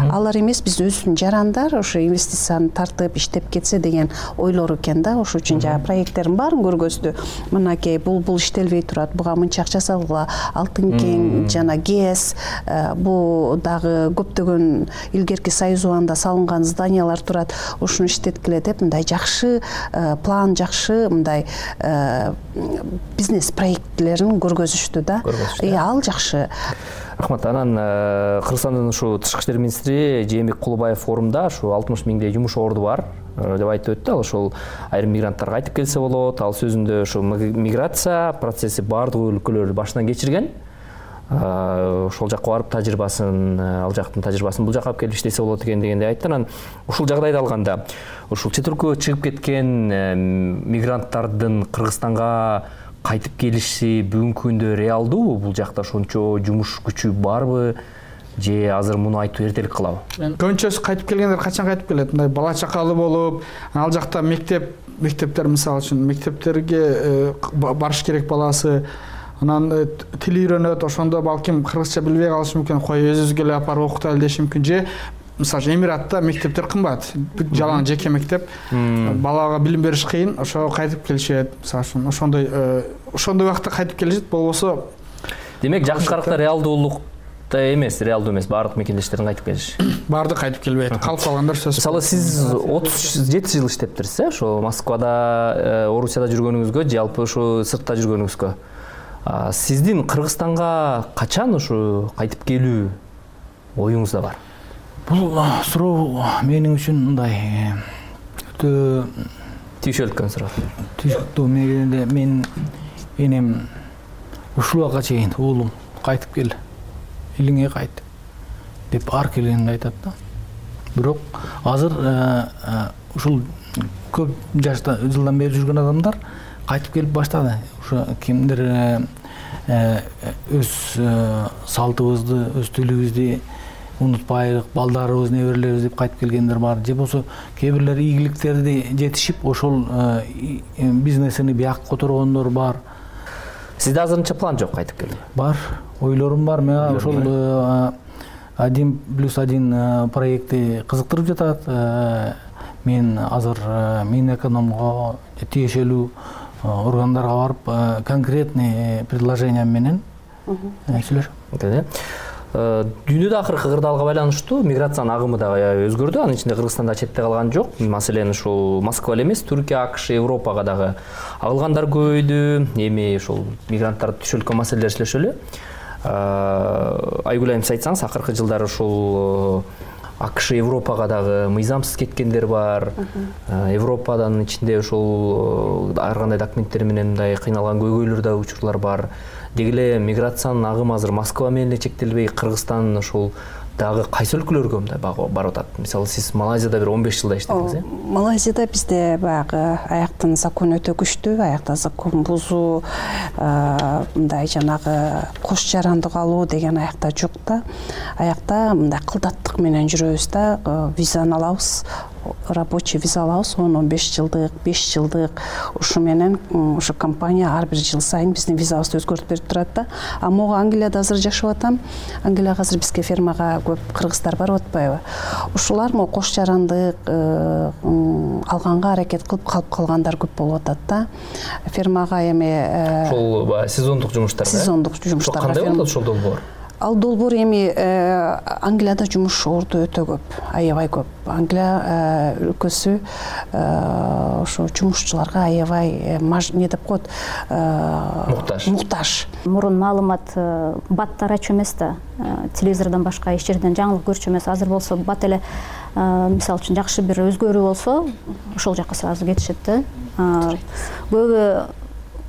Алар эмес, биз өзүбүздүн жарандар ошо инвестицияны тартып иштеп кетсе деген ойлор экен да. Ошол үчүн жана проекттердин баарын көргөздү. Мынакей бул иштелбей турат, буга мынча акча салгыла, Алтын кең жана ГЭС, бул дагы көптөгөн илгерки Союз убагында салынган зданиялар турат. Ушуну иштеткиле деп мындай жакшы план, жакшы мындай бизнес проектлерин көргөзүштү да. Ал жакшы. Рахмат. Анан Кыргызстандын ушу тышкы иштер министри Жээнбек Кулубаев форумда ушу 60 миңдей жумуш орду бар деп айтып өттү. Ал ошол айрым мигранттар кайтып келсе болот. Ал сөзүндө ушу миграция процесси бардык өлкөлөр башынан кечирген. Ошол жакка барып тажрыйбасын, ал жактын тажрыйбасын бул жакка алып келип иштесе болот экен дегенди айтты. Анан ушул жагдайда алганда ушул чет өлкөгө чыгып кеткен мигранттардын Кыргызстанга кайтып келиши бүгүнкү күндө реалдуубу? Бул жакта ошончо жумуш күчү барбы же азыр муну айтуу эртелик кылабы? Көбүнчөсү кайтып келгендер качан кайтып келет? Мындай бала чакалы болуп, ал жакта мектептер мисалы үчүн мектептерге барыш керек баласы. Анан тил үйрөнөт, ошондо балким кыргызча билбей калышы мүмкүн, кой өзүбүзгө эле апарып окутайлы деши мүмкүн. Же мисалы Эмиратта мектептер кымбат, жалаң жеке мектеп, балага билим бериш кыйын, ошо кайтып келишет. Мисалы үчүн ошондой убакта кайтып келишет, болбосо демек жакшы каракта реалдуулукта эмес, бардык мекендештердин кайтып келиши. Бардык кайтып келбейт, калып калгандар сөзсүз. Мисалы сиз 37 жыл иштептирсиз, ошо Москвада, Орусияда жүргөнүңүзгө, же албы ошо сыртта жүргөнүңүзгө. Сиздин Кыргызстанга качан ушу кайтып келүү оюңузда бар? Бул суроо менин үчүн мындай өтө түйшөлткөн суроо. Түйшөлтүү мегенде мен энем ушул убакка чейин уулум кайтып кел, элиңе кайт деп ар келгенде айтат да. Бирок азыр ушул көп жашта жылдан бери жүргөн адамдар кайтып келип баштады. Ошо кимдир өз салтыбызды, өз тилибизди унутпайлык, балдарыбыз, неберелерибиз деп кайтып келгендер бар. Же болсо кээ бирлери ийгиликтерди жетишип, ошол бизнесини бияк которгондор бар. Сизде азырынча план жок кайтып келүү? Бар, ойлорум бар. Мага ошол 1+1 проекти кызыктырып жатат. Мен азыр Минэкономго тиешелүү органдарга барып конкретный предложение менен сүйлөшөм. Дүйнөдө акыркы кырдаалга байланыштуу миграциянын агымы дагы өзгөрдү. Анын ичинде Кыргызстанда четте калган жок. Маселен, ушул Москва эле эмес, Түркия, АКШ, Европага дагы агылгандар көбөйдү. Эми ушул мигранттарды түшөлткөн маселелер сүйлөшөлү. Айгүл айым, айтсаңыз, акыркы жылдары ушул АКШ Европага дагы мыйзамсыз кеткендер бар. Европадан ичинде ошол ар кандай документтер менен мындай кыйналган көйгөйлөр да учурлар бар. Деги эле миграциянын агымы азыр Москва менен эле чектелбей, Кыргызстан ошол дагы кайсы өлкөлөргө мындай барып атат? Мисалы сиз Малайзияда бир 15 жылда иштедиңиз, э? Малайзияда бизде баягы аяктын закон өтө күчтүү, аякта закон бузуу, мындай жанагы кош жарандык алуу деген аякта жок да. Аякта мындай кылдаттык менен жүрөбүз да, визаны алабыз, рабочий виза алабыз, 10-15 жылдык, 5 жылдык. Ушу менен ушу компания ар бир жыл сайын биздин визабызды өзгөртүп берип турат да. А могу Англияда азыр жашап атам. Англияга азыр бизге фермага көп кыргыздар барып атпайбы? Ушулар могу кош жарандык алганга аракет кылып калып калгандар көп болуп атат да. Фермага эми ошол сезондук жумуштар. Сезондук жумуштар. Кандай болот ошол долбоор? Ал эми Англияда жумуш орду өтө көп, аябай көп. Англия өлкөсү ошо жумушчуларга аябай не деп коет, муктаж. Мурун маалымат бат тарачу эмес да, телевизордон башка эч жерден жаңылык көрчү эмес. Азыр болсо бат эле мисалы үчүн жакшы бир өзгөрүү болсо, ошол жака сразу кетишет да. Көбү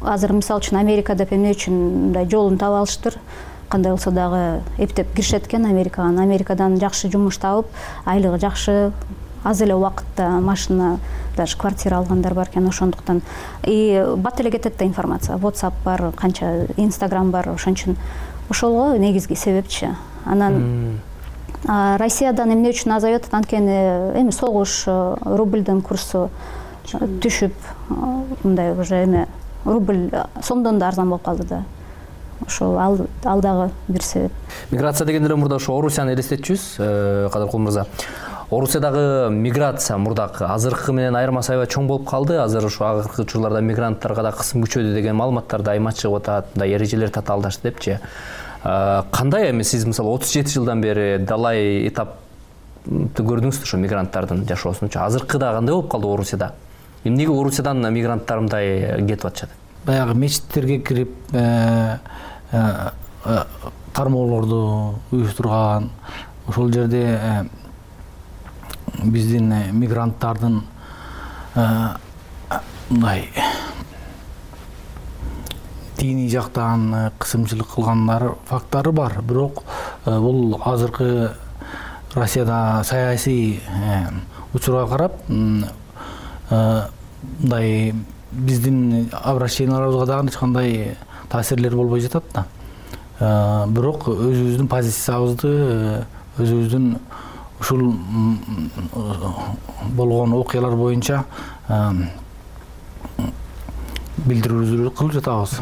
азыр мисалы үчүн Америка деп эмне үчүн мындай жолун таап алыштыр. Кандай болсо дагы эптеп киришет экен Америкага. Америкадан жакшы жумуш табып, айлыгы жакшы, аз эле убакытта машина, даже квартира алгандар бар экен, ошондуктан. И бат эле кетет да информация. WhatsApp бар, канча Instagram бар, ошон үчүн ошолго негизги себепчи. Анан Россиядан эмне үчүн азайып атат? Анткени эми согуш, рубльдин курсу түшүп, мындай уже эми рубль сомдон да арзан болуп калды да. Ошол ал дагы бир себеп. Миграция дегенде эле мурда ошо Орусияны элестетчүбүз, Кадыркул мырза. Орусиядагы миграция мурдакы азыркы менен айырмасы аябай чоң болуп калды. Азыр ошо акыркы учурларда мигранттарга да кысым күчөдү деген маалыматтар дайыма чыгып атат, мындай эрежелер татаалдашты депчи. Кандай эми сиз мисалы 37 жылдан бери далай этапты көрдүңүз ошо мигранттардын жашоосунчу. Азыркыда кандай болуп калды Орусияда? Эмнеге Орусиядан мигранттар мындай кетип атышат? Баягы мечиттерге кирип кармоолорду уюштурган, ошол жерде биздин мигранттардын мындай диний жактан кысымчылык кылгандар факттары бар. Бирок бул азыркы Россияда саясий учурга карап мындай биздин обращенияларыбызга дагы эч кандай таасирлер болбой жатат да. Бирок өзүбүздүн позициябызды, өзүбүздүн ушул болгон окуялар боюнча билдирүүлөрдү кылып жатабыз.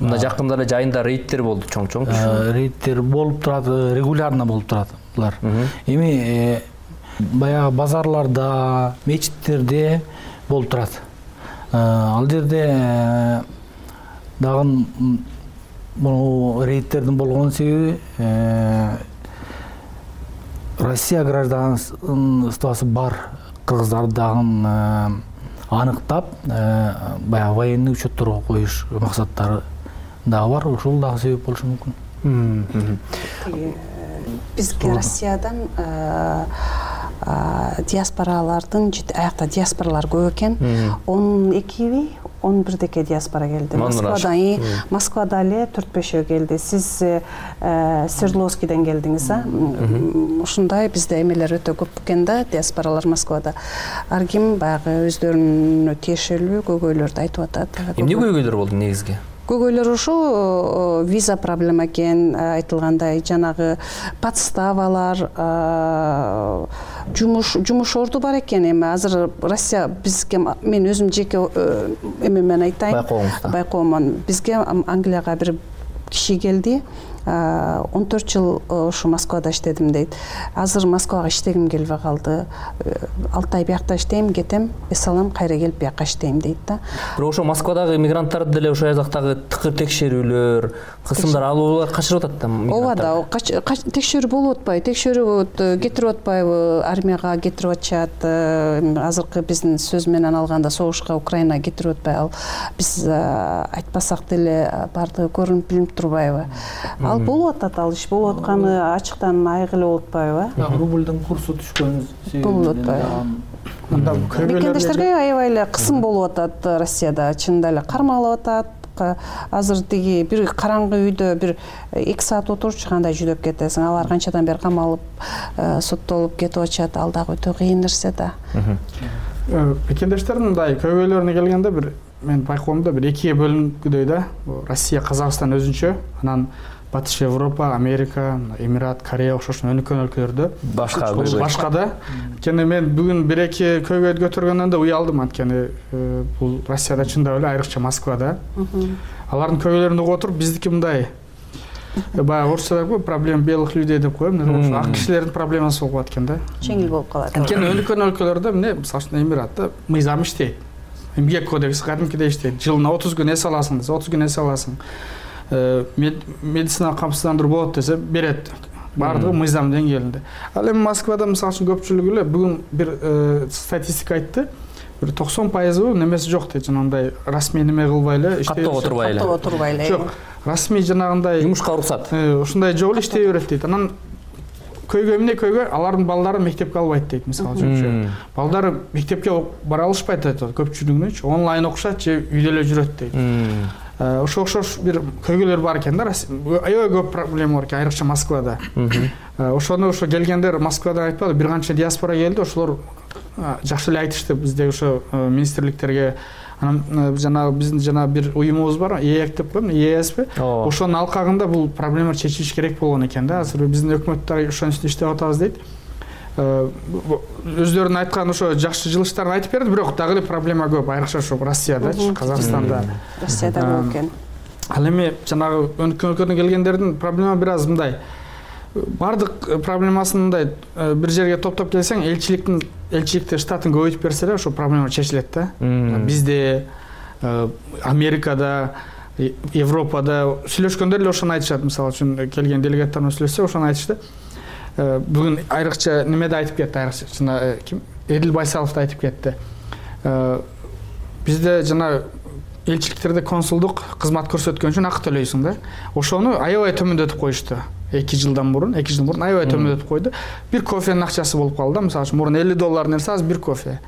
Мына жакында эле жайында рейдтер болду, чоң-чоң. Рейдтер болуп турат, регулярно болуп турат булар. Эми баягы базарларда, мечиттерде болуп турат. Ал жерде дагы бул рейдтердин болгон себеби Россия гражданствосы бар кыргыздарды дагы аныктап, баягы военный учетторго коюш максаттары дагы бар. Ошол дагы себеп болушу мүмкүн. Бизге Россиядан диаспоралардын аякта диаспоралар көп экен. 12 11 диаспора келди. Москвада эле 4-5 келди. Сиз Свердловскийден келдиңиз, а? Ушундай бизде эмелер өтө көп экен да, диаспоралар Москвада. Ар ким баягы өздөрүнө тиешелүү көйгөйлөрдү айтып атат. Эмне көйгөйлөр болду негизги? Көйгөйлөр ошо виза проблема экен, айтылгандай, жанагы подставалар, жумуш орду бар экен. Эми азыр Россия бизге, мен өзүм жеке эмемен айтайын, байкоомон. Бизге Англияга бир киши келди, 14 жыл ушу Москвада иштедим дейт. Азыр Москвага иштегим келбей калды. 6 ай биякта иштейм, кетем, эсалам, кайра келип бияка иштейм дейт да. Бирок ошо Москвадагы мигранттарды деле ошо жактагы тыкыр текшерүүлөр, кысымдар алуулар качырып атат да мигранттар. Ооба да, текшерүү болуп атпайбы, текшерүү кетирип атпайбы, армияга кетирип атышат. Азыркы биздин сөз менен алганда согушка Украинага кетирип атпай, ал биз айтпасак деле бардыгы көрүнүп билинип турбайбы? Ал болуп атат, ал иш болуп атканы ачыктан айгылуу болуп атпайбы? Рублдун курсу түшкөн болуп атпайбы? Мекендештерге аябай эле кысым болуп атат Россияда, чынында эле кармалып атат. Азыр тиги бир караңгы үйдө бир 2 саат отурчу кандай жүдөп кетесиң. Алар канчадан бери камалып, соттолуп кетип атышат. Ал дагы өтө кыйын нерсе да. Мекендештердин мындай көйгөйлөрүнө келгенде бир мен байкоомдо бир экиге бөлүнгүдөй да. Россия, Казакстан өзүнчө, анан Батыш Европа, Америка, Эмират, Корея окшош өнүккөн өлкөлөрдө башка да. Анткени мен бүгүн бир-эки көйгөйдү көтөргөндөн да уялдым, анткени бул Россияда чындап эле айрыкча Москвада. Алардын көйгөйлөрүн угуп отуруп, биздики мындай баягы орусча деп проблема белых людей деп коем. Ошо ак кишилердин проблемасы болуп калат экен да. Жеңил болуп калат. Анткени өнүккөн өлкөлөрдө эмне, мисалы үчүн Эмиратта мыйзам иштейт. Эмгек кодекси кадимкидей иштейт. Жылына 30 күн эс аласың десе, 30 күн эс аласың. Медицина камсыздандыруу болот десе берет. Бардыгы мыйзам деңгээлинде. Ал эми Москвада мисалы үчүн көпчүлүгү эле бүгүн бир статистика айтты. Бир 90% немеси жок дейт, жанагындай расмий неме кылбай эле иштеп турбай эле. Жок, расмий жанагындай жумушка уруксат. Ушундай жол иштей берет дейт. Анан көйгөй алардын балдары мектепке албайт дейт, мисалы үчүн. Балдары мектепке бара алышпайт дейт, көпчүлүгүнүнчү онлайн окушат же үйдө эле жүрөт дейт. Ошо окшош бир көйгөйлөр бар экен да. Аябай көп проблема бар экен, айрыкча Москвада. Ошону келгендер Москвадан айтпады, бир канча диаспора келди, ошолор жакшы эле айтышты бизде ошо министрликтерге. Анан жана биздин жана бир уюмубуз бар, ЕЭК деп коем, ЕСП. Ошонун алкагында бул проблема чечилиш керек болгон экен да. Азыр биздин өкмөттөр ошонун үстүнө иштеп атабыз дейт. Өздөрүнүн айткан ошо жакшы жылыштарын айтып берди, бирок дагы эле проблема көп, айрыкча ошо Россиядачы, Казакстанда. Россияда көп экен. Ал эми жанагы өнүккөн өлкөдөн келгендердин проблема бир аз мындай. Бардык проблемасын мындай бир жерге топтоп келсең, элчиликти штатын көбөйтүп берсе эле ошо проблема чечилет да. Бизде, Америкада, Европада сүйлөшкөндөр эле ошону айтышат. Мисалы үчүн келген делегаттар менен сүйлөшсө ошону айтышты. Бүгүн айрыкча немеде айтып кетти, айрыкча жана ким? Эдил Байсалов да айтып кетти. Бизде жана элчиликтерде консулдук кызмат көрсөткөн үчүн акы төлөйсүң да. Ошону аябай төмөндөтүп коюшту. 2 жыл мурун аябай төмөндөтүп койду. Бир кофенин акчасы болуп калды. Мисалы үчүн мурун $50 нерсе, азыр бир кофе.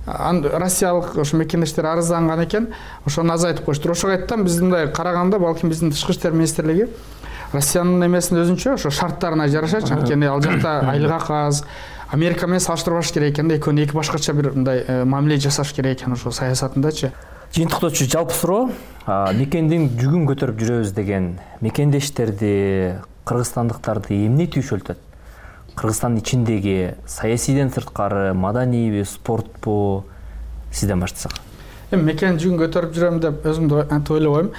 Россиялык ошо мекендештер арызданган экен, ошону азайтып коюшту. Ошого айттым, биз мындай караганда, балким биздин тышкы иштер министрлиги Россиянын эмесин өзүнчө ошо шарттарына жараша, анткени ал жакта айлык акы аз. Америка менен салыштырбаш керек экен да, экөөнү эки башкача бир мындай мамиле жасаш керек экен ошо саясатындачы. Жыйынтыктоочу жалпы суроо, мекендин жүгүн көтөрүп жүрөбүз деген мекендештерди, кыргызстандыктарды эмне түйшөлтөт? Кыргызстандын ичиндеги саясийден сырткары, маданийби, спортпу? Сизден баштасак. Эми мекен жүгүн көтөрүп жүрөм деп өзүмдү антип ойлобойм.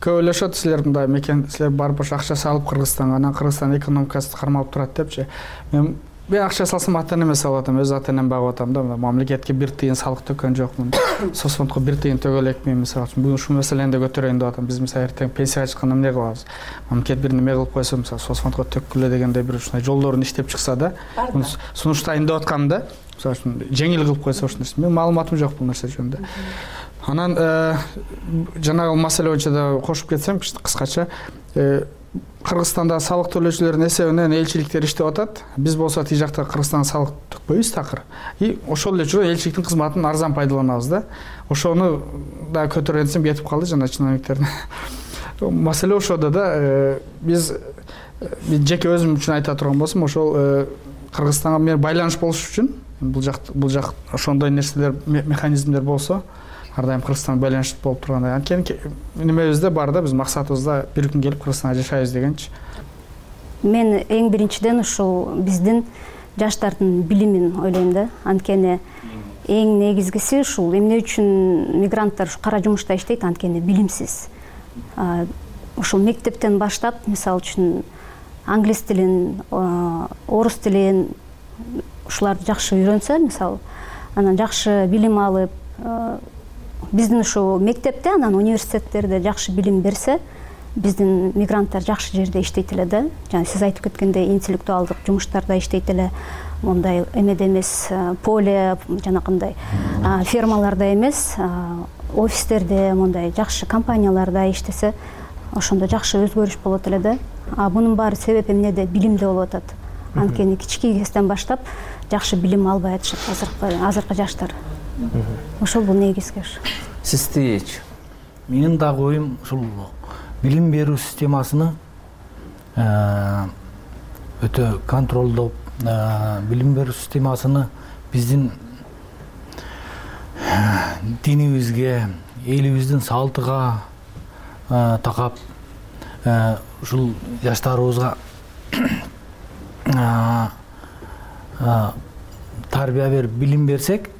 Көп ойлошот, силер мындай мекен, силер барып ошо акча салып Кыргызстанга, анан Кыргызстан экономикасы кармалып турат депчи. Мен акча салсам ата-энеме эме салып атам, өз ата-энем багып атам да. Мамлекетке бир тыйын салык төккөн жокмун. Соцфондко бир тыйын төгө элекмин, мисалы үчүн. Бүгүн ушул маселени да көтөрөйүн деп атам. Биз мисалы эртең пенсияга чыкканда эмне кылабыз? Мамлекет бир неме кылып койсо, мисалы соцфондко төккүлө дегенде бир ушундай жолдорун иштеп чыкса да, сунуштайын деп аткам да. Мисалы үчүн жеңил кылып койсо ушул нерсе. Мен маалыматым жок бул нерсе жөнүндө. Анан жанагы маселе боюнча да кошуп кетсем, кыскача, Кыргызстанда салык төлөөчүлөрдүн эсебинен элчиликтер иштеп атат. Биз болсо тиги жакта Кыргызстанга салык төкпөйбүз такыр. И ошол эле жүрүп элчиликтин кызматын арзан пайдаланабыз да. Ошону да көтөргөнсем кетип калды жана чиновниктердин. Маселе ошодо да, биз жеке өзүм үчүн айта турган болсом, ошол Кыргызстанга мен байланыш болуш үчүн бул жак ошондой нерселер, механизмдер болсо, ар дайым Кыргызстанга байланыш болуп тургандай. Анткени немебизде бар да, биз максатыбызда бир күн келип Кыргызстанга жашайбыз дегенчи. Мен эң биринчиден ушул биздин жаштардын билимин ойлойм да. Анткени эң негизгиси ушул эмне үчүн мигранттар кара жумушта иштейт, анткени билимсиз. Ушул мектептен баштап, мисалы үчүн англис тилин, орус тилин ушуларды жакшы үйрөнсө, мисалы, анан жакшы билим алып, биздин ушул мектепте, анан университеттерде жакшы билим берсе, биздин мигранттар жакшы жерде иштейт эле да. Жана сиз айтып кеткендей интеллектуалдык жумуштарда иштейт эле, мондай эмеде эмес, поле жанакындай фермаларда эмес, офистерде, мондай жакшы компанияларда иштесе, ошондо жакшы өзгөрүш болот эле да. Мунун баары себеби эмнеде? Билимде болуп атат. Анткени кички кезден баштап жакшы билим албай атышат азыркы жаштар. Ошол бул негизги. Сиздичи? Менин дагы оюм ушул билим берүү системасыны өтө контролдоп, билим берүү системасыны биздин динибизге, элибиздин салтыга такап, ушул жаштарыбызга тарбия берип билим берсек,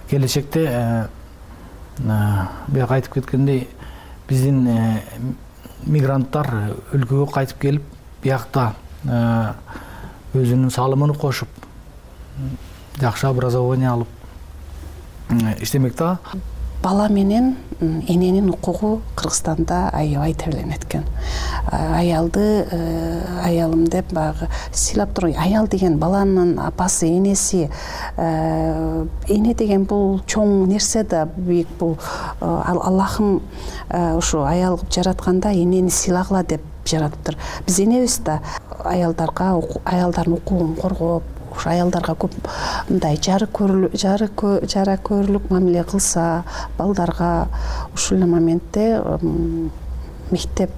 келечекте бияка айтып кеткендей биздин мигранттар өлкөгө кайтып келип, биякта өзүнүн салымын кошуп, жакшы образование алып иштемек да. Бала менен эненин укугу Кыргызстанда аябай тебеленет экен. Аялым деп багы сыйлап туруп, аял деген баланын апасы, энеси, эне деген бул чоң нерсе да, бийик бул. Аллахым ушу аял кылып жаратканда энени сыйлагыла деп жаратыптыр. Биз энебиз да аялдардын укугун коргоп, аялдарга көп мындай жара көрүүлүк мамиле кылса, балдарга ушул эле моментте мектеп,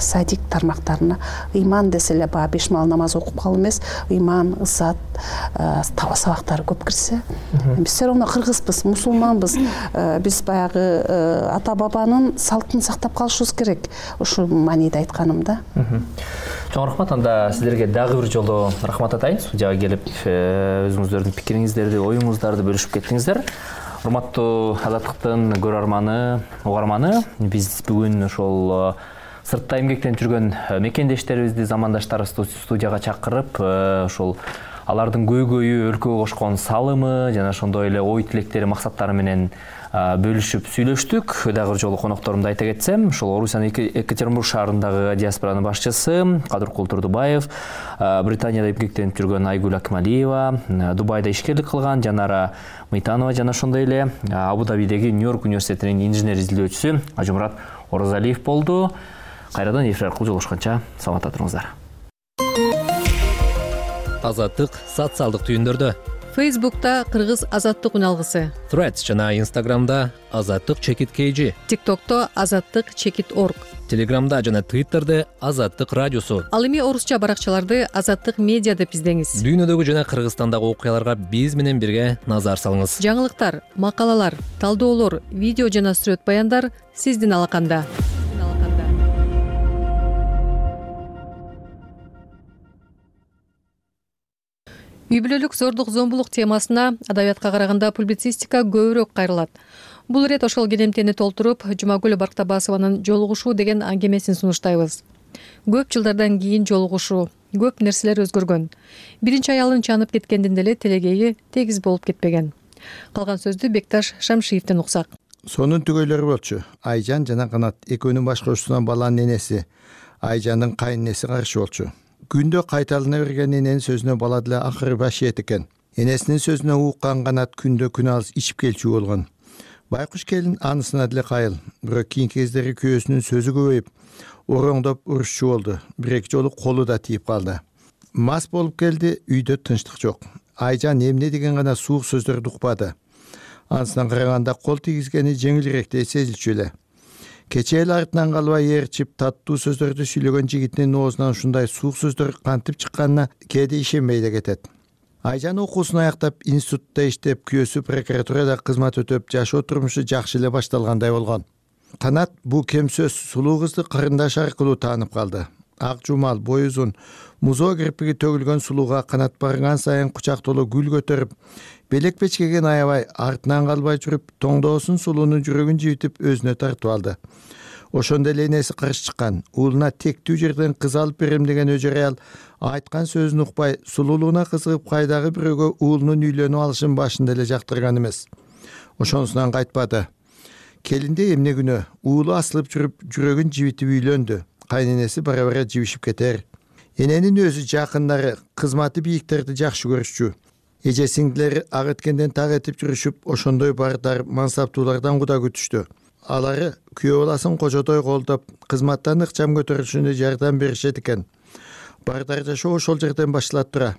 садик тармактарына ыйман десе эле баягы 5 маал намаз окуп калып эмес, ыйман, ызат сабактары көп кирсе. Биз все равно кыргызбыз, мусулманбыз. Биз баягы ата бабанын салтын сактап калышыбыз керек. Ушул мааниде айтканым да. Чоң рахмат. Анда сиздерге дагы бир жолу рахмат атайын. Студияга келип өзүңүздөрдүн пикириңиздерди, оюңуздарды бөлүшүп кеттиңиздер. Урматтуу Азаттыктын көрөрманы, угарманы, биз бүгүн ошол сыртта эмгектенип жүргөн мекендештерибизди, замандаштарыбызды студияга чакырып, ошол алардын көйгөйү, өлкөгө кошкон салымы жана ошондой эле ой тилектери, максаттары менен бөлүшүп сүйлөштүк. Дагы бир жолу конокторумду айта кетсем, ошол Орусиянын Екатеринбург шаарындагы диаспоранын башчысы Кадыркул Турдубаев, Британияда эмгектенип жүргөн Айгүл Акмалиева, Дубайда ишкерлик кылган Жанара Мыйтанова жана ошондой эле Абу-Дабидеги Нью-Йорк университетинин инженер изилдөөчүсү Ажымурат Оразалиев болду. Кайрадан эфир аркылуу жолугушканча саламатта туруңуздар. Азаттык социалдык түйүндөрдө. Facebook'ta Кыргыз Азаттык үналгысы. Threads жана Instagram'da Азаттык_KG. TikTok'ta Азаттык_org. Telegram'da жана Twitter'де Азаттык радиосу. Ал эми орусча баракчаларды Азаттык медиа деп издеңиз. Дүйнөдөгү жана Кыргызстандагы окуяларга биз менен бирге назар салыңыз. Жаңылыктар, макалалар, талдоолор, видео жана сүрөт баяндар сиздин алаканда. Үй бүлөлүк зордук зомбулук темасына адабиятка караганда публицистика көбүрөөк кайрылат. Бул ирет ошол келемтени толтуруп, Жумагүл Барктабасованын «Жолугушуу» деген аңгемесин сунуштайбыз. Көп жылдардан кийин жолугушуу, көп нерселер өзгөргөн. Биринчи аялын чанып кеткенден деле тилегеи тегиз болуп кетпеген. Калган сөздү Бекташ Шамшиевден уксак. Сонун түгөйлөрү болчу. Айжан жана Канат экөөнүн башкаруусунан баланын энеси, Айжандын кайненеси каршы болчу. Күндө кайталана берген эненин сөзүнө бала деле акыры башиет экен. Энесинин сөзүнө уккан Канат күндө күн алыс ичип келчү болгон. Байкуш келин анысына деле кайыл. Бирок кийинки кездери күйөөсүнүн сөзү көбөйүп, ороңдоп урушчу болду. Бир-эки жолу колу да тийип калды. Мас болуп келди, үйдө тынчтык жок. Айжан эмне деген гана суук сөздөрдү укпады. Анысынан караганда кол тийгизгени жеңилирээктей сезилчү эле. Кечээ эле артынан калбай ээрчип, таттуу сөздөрдү сүйлөгөн жигитинин оозунан ушундай суук сөздөр кантип чыкканына кээде ишенбей да кетет. Айжан окуусун аяктап, институтта иштеп, күйөөсү прокуратурада кызмат өтөп, жашоо турмушу жакшы эле башталгандай болгон. Канат бул кем сөз сулуу кызды карындаш аркылуу таанып калды. Ак жумал, бой узун, музоо кирпиги төгүлгөн сулууга Канат барган сайын кучактолуу гүл көтөрүп, белек печкеген аябай, артынан калбай жүрүп, тоңдоосун сулуунун жүрөгүн жибитип өзүнө тартып алды. Ошондо эле энеси каршы чыккан. Уулуна тектүү жерден кыз алып берем деген өжөр аял айткан сөзүн укпай, сулуулугуна кызыгып кайдагы бирөөгө уулунун үйлөнүп алышын башында эле жактырган эмес. Ошонусунан кайтпады. Келинде эмне күнөө, уулу асылып жүрүп, жүрөгүн жибитип үйлөндү. Кайненеси бара-бара жибишип кетер. Эненин өзү жакындары, кызматы бийиктерди жакшы көрүшчү. Эже сиңдилери ак эткенден так этип жүрүшүп, ошондой бардар, мансаптуулардан куда күтүштү. алары күйөө баласын кожодой колдоп кызматтан ыкчам көтөрүшүнө жардам беришет экен. Бардар жашоо ошол жерден башталат тура.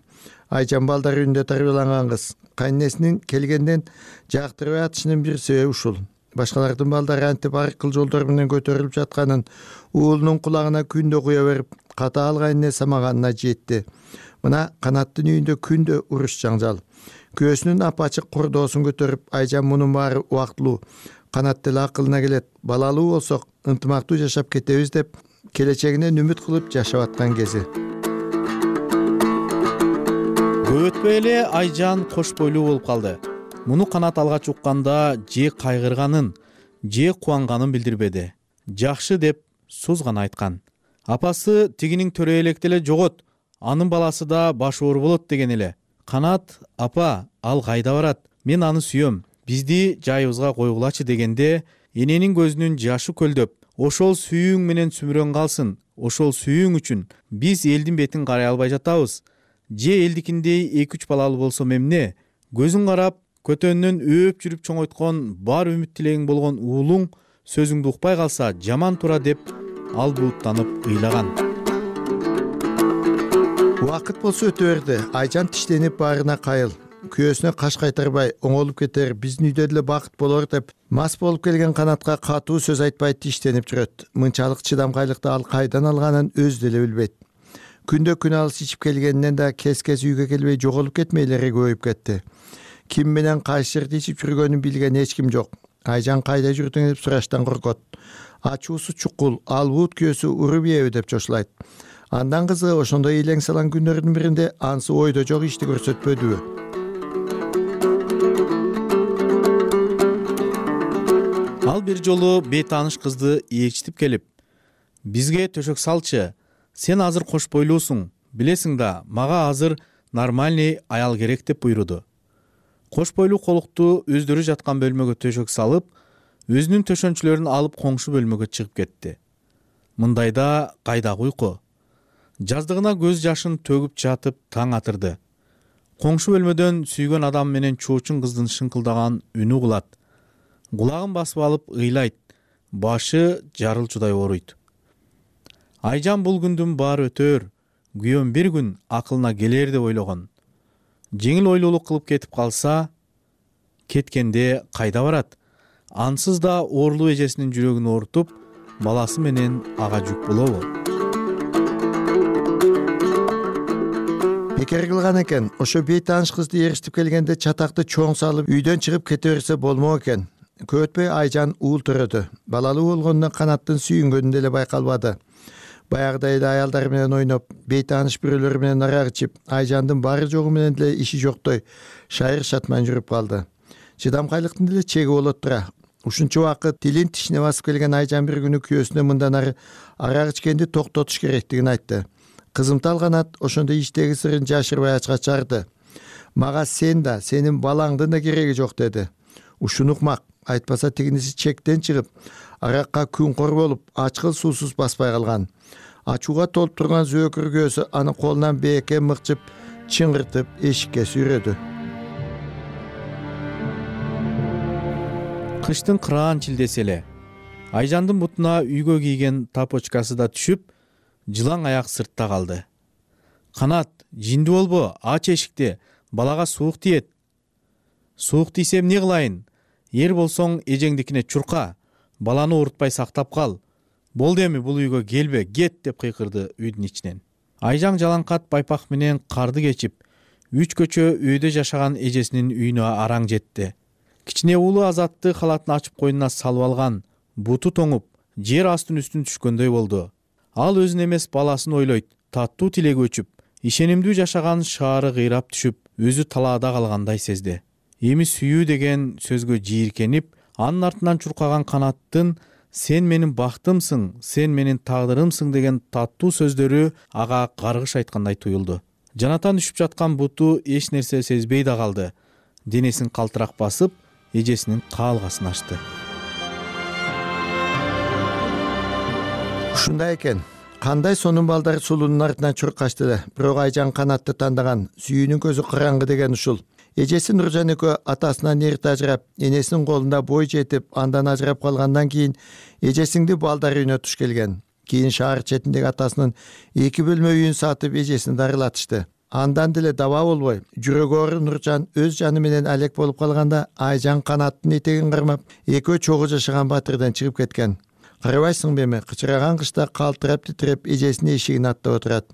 Айжан балдар үйүндө тарбияланган кыз. Кайнесинин келгенден жактырбай атышынын бир себеби ушул. Башкалардын балдары антип ар кыл жолдор менен көтөрүлүп жатканын уулунун кулагына күндө куя берип, катаал кайне самаганына жетти. Мына Канаттын үйүндө күндө уруш жаңжал. Күйөөсүнүн апачык курдоосун көтөрүп, Айжан мунун баары убактылуу. Канат деле акылына келет. Балалуу болсок, ынтымактуу жашап кетебиз деп келечегинен үмүт кылып жашап аткан кези. Көп өтпөй эле Айжан кош бойлуу болуп калды. Муну Канат алгач укканда же кайгырганын, же кубанганын билдирбеди. Жакшы деп суз гана айткан. Апасы тигинин төрө электе эле жогот, анын баласы да баш оор болот деген эле. Канат, апа, ал кайда барат? Мен аны сүйөм. Бизди жайыбызга койгулачы дегенде, эненин көзүнүн жашы көлдөп, ошол сүйүүң менен сүмүрөн калсын. Ошол сүйүүң үчүн биз элдин бетин карай албай жатабыз. Же элдикиндей 2-3 балалуу болсом эмне? Көзүң карап, көтөнүнөн өөп жүрүп чоңойткон, бар үмүт тилегиң болгон уулуң сөзүңдү укпай калса жаман тура деп ал бууттанып ыйлаган. Убакыт болсо өтө берди. Айжан тиштенип баарына кайыл. Күйөөсүнө каш кайтарбай, оңолуп кетер, биздин үйдө деле бакыт болор деп мас болуп келген Канатка катуу сөз айтпай тиштенип жүрөт. Мынчалык чыдамкайлыкты ал кайдан алганын өзү деле билбейт. Күндө күн алыс ичип келгенинен да кез-кез үйгө келбей жоголуп кетмейлери көбөйүп кетти. Ким менен кайсы жерде ичип жүргөнүн билген эч ким жок. Айжан кайда жүрдүң деп сураштан коркот. Ачуусу чукул, ал бут күйөөсү уруп ийеби деп чочулайт. Андан кызыгы ошондой илең салан күндөрдүн биринде ансы ойдо жок ишти көрсөтпөдүбү. Ал бир жолу бейтааныш кызды ээрчитип келип, бизге төшөк салчы, сен азыр кош бойлуусуң, билесиң да, мага азыр нормальный аял керек деп буйруду. Кош бойлуу колукту өздөрү жаткан бөлмөгө төшөк салып, өзүнүн төшөнчүлөрүн алып коңшу бөлмөгө чыгып кетти. Мындайда кайдагы уйку? Жаздыгына көз жашын төгүп жатып таң атырды. Коңшу бөлмөдөн сүйгөн адам менен чоочун кыздын шыңкылдаган үнү угулат. Кулагын басып алып ыйлайт, башы жарылчудай ооруйт. Айжан бул күндүн баары өтөр, күйөөм бир күн акылына келер деп ойлогон. Жеңил ойлуулук кылып кетип калса, кеткенде кайда барат? Ансыз да оорлуу эжесинин жүрөгүн оорутуп, баласы менен ага жүк болобу? Бекер кылган экен. Ошо бейтааныш кызды ээрчитип келгенде чатакты чоң салып үйдөн чыгып кете берсе болмок экен. Көп өтпөй Айжан уул төрөдү. Балалуу болгондо Канаттын сүйүнгөнү деле байкалбады. Баягыдай эле аялдар менен ойноп, бейтааныш бирөөлөр менен арак ичип, Айжандын бары жогу менен деле иши жоктой шайыр шатман жүрүп калды. Чыдамкайлыктын деле чеги болот тура. Ушунча убакыт тилин тишине басып келген Айжан бир күнү күйөөсүнө мындан ары арак ичкенди токтотуш керектигин айтты. Кызымтал Канат ошондо иштеги сырын жашырбай ачка чыгарды. Мага сен да, сенин балаңдын да кереги жок деди. Ушуну укмак, айтпаса тигиниси чектен чыгып, аракка күнкор болуп, ачкыл суусуз баспай калган. Ачууга толуп турган зөөкүр көөсү аны колунан бээкке мыкчып, чыңгыртып эшикке сүйрөдү. Кыштын кыраан чилдеси эле. Айжандын бутуна үйгө кийген тапочкасы да түшүп, жылаң аяк сыртта калды. Канат, жинди болбо, ач эшикти, балага суук тиет. Суук тийсем эмне кылайын? Эр болсоң эжеңдикине чурка, баланы оорутпай сактап кал. Болду эми бул үйгө келбе, кет деп кыйкырды үйдүн ичинен. Айжан жалаңкат байпак менен карды кечип, 3 көчө үйдө жашаган эжесинин үйүнө араң жетти. Кичине уулу Азатты халатын ачып койнуна салып алган, буту тоңуп, жер астын үстүн түшкөндөй болду. Ал өзүн эмес баласын ойлойт, таттуу тилеги өчүп, ишенимдүү жашаган шаары кыйрап түшүп, өзү талаада калгандай сезди. Эми сүйүү деген сөзгө жийиркенип, анын артынан чуркаган Канаттын сен менин бактымсың, сен менин тагдырымсың деген таттуу сөздөрү ага каргыш айткандай туюлду. Жанатан түшүп жаткан буту эч нерсе сезбей да калды. Денесин калтырак басып, эжесинин каалгасын ачты. Ушундай экен. Кандай сонун балдар сулуунун артынан чуркашты эле. Бирок Айжан Канатты тандаган, сүйүүнүн көзү караңгы деген ушул. Эжеси Нуржан экөө атасынан эрте ажырап, энесинин колунда бой жетип, андан ажырап калгандан кийин эжесиңди балдары үйүнө туш келген. Кийин шаар четиндеги атасынын 2 бөлмө үйүн сатып эжесин дарылатышты. Андан деле даба болбой, жүрөгү оору Нуржан өз жаны менен алек болуп калганда Айжан Канаттын этегин кармап, экөө чогуу жашаган батырдан чыгып кеткен. Карабайсыңбы эми, кычыраган кышта калтырап титиреп эжесинин эшигин аттап отурат.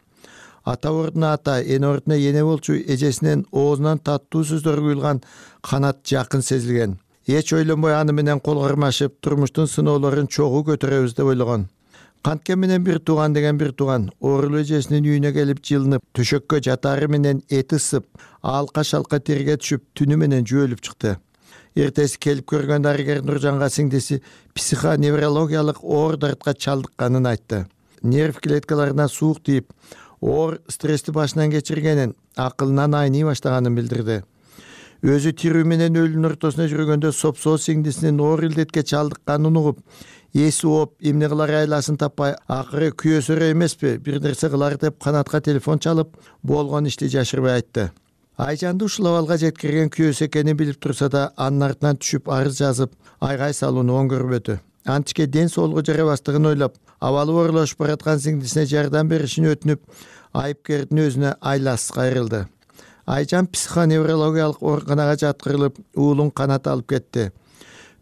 Ата ордуна ата, эне ордуна эне болчу эжесинин оозунан таттуу сөздөр куюлган Канат жакын сезилген. Эч ойлонбой аны менен кол кармашып, турмуштун сыноолорун чогуу көтөрөбүз деп ойлогон. Канткен менен бир тууган деген бир тууган оорулуу эжесинин үйүнө келип жылынып, төшөккө жатаары менен эти ысып, алка-шалка терге түшүп, түнү менен жөөлүп чыкты. Эртеси келип көргөн дарыгер Нуржанга сиңдиси психоневрологиялык оор дартка чалдыкканын айтты. Нерв клеткаларына суук тийип, оор стрессти башынан кечиргенин, акылынан айный баштаганын билдирди. Өзү тирүү менен өлүүнүн ортосуна жүргөндө сопсоо сиңдисинин оор илдетке чалдыкканын угуп, эси ооп, эмне кылар айласын таппай, акыры күйөөсөрө эмеспи, бир нерсе кылар деп Канатка телефон чалып, болгон ишти жашырбай айтты. Айжанды ушул абалга жеткирген күйөөсү экенин билип турса да, анын артынан түшүп арыз жазып, айгай салууну оң көрбөдү. Античке ден соолугу жарабастыгын ойлоп, абалы оорулашып бараткан сиңдисине жардам беришин өтүнүп, айыпкердин өзүнө айласыз кайрылды. Айжан психоневрологиялык ооруканага жаткырылып, уулун Канат алып кетти.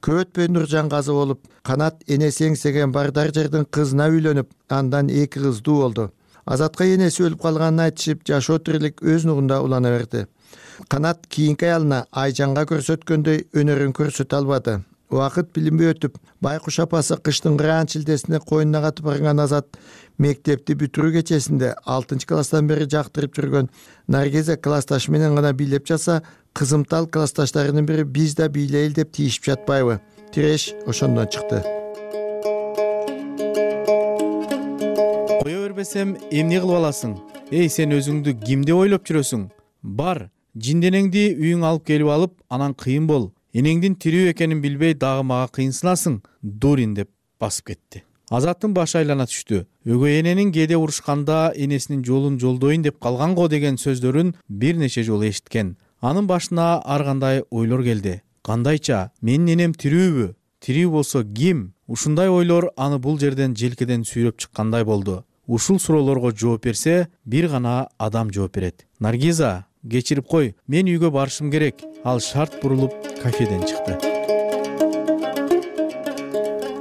Көп өтпөй Нуржан каза болуп, Канат энеси эңсеген Бардар жердин кызына үйлөнүп, андан 2 кыздуу болду. Азатка энеси өлүп калганын айтышып, жашоо тирилик өз нугунда улана берди. Канат кийинки аялына Айжанга көрсөткөндөй өнөрүн көрсөтө албады. Убакыт билинбей өтүп, Байкуш апасы кыштын кыраан шилдесине койнуна катып барган Азат мектепти бүтүрүү кечесинде 6-класстан бери жактырып жүргөн Наргиза классташы менен гана бийлеп жатса, кызымтал классташтарынын бири биз да бийлейли деп тийишип жатпайбы? Тиреш ошондон чыкты. Кое бербесем, эмне кылып аласың? Эй, сен өзүңдү кимди ойлоп жүрөсүң? Бар, жинденеңди үйүң алып келип алып, анан кыйын бол. Энеңдин тирүү экенин билбей дагы мага кыйынсынасың, дурин деп басып кетти. Азаттын башы айлана түштү. Өгөй эненин кээде урушканда энесинин жолун жолдойн деп калган го деген сөздөрүн бир нече жолу эшиткен. Анын башына ар кандай ойлор келди. Кандайча, менин энем тирүүбү? Тирүү болсо ким? Ушундай ойлор аны бул жерден желкеден сүйрөп чыккандай болду. Ушул суроолорго жооп берсе, бир гана адам жооп берет. Наргиза, кечирип кой, мен үйгө барышым керек. Ал шарт бурулуп кафеден чыкты.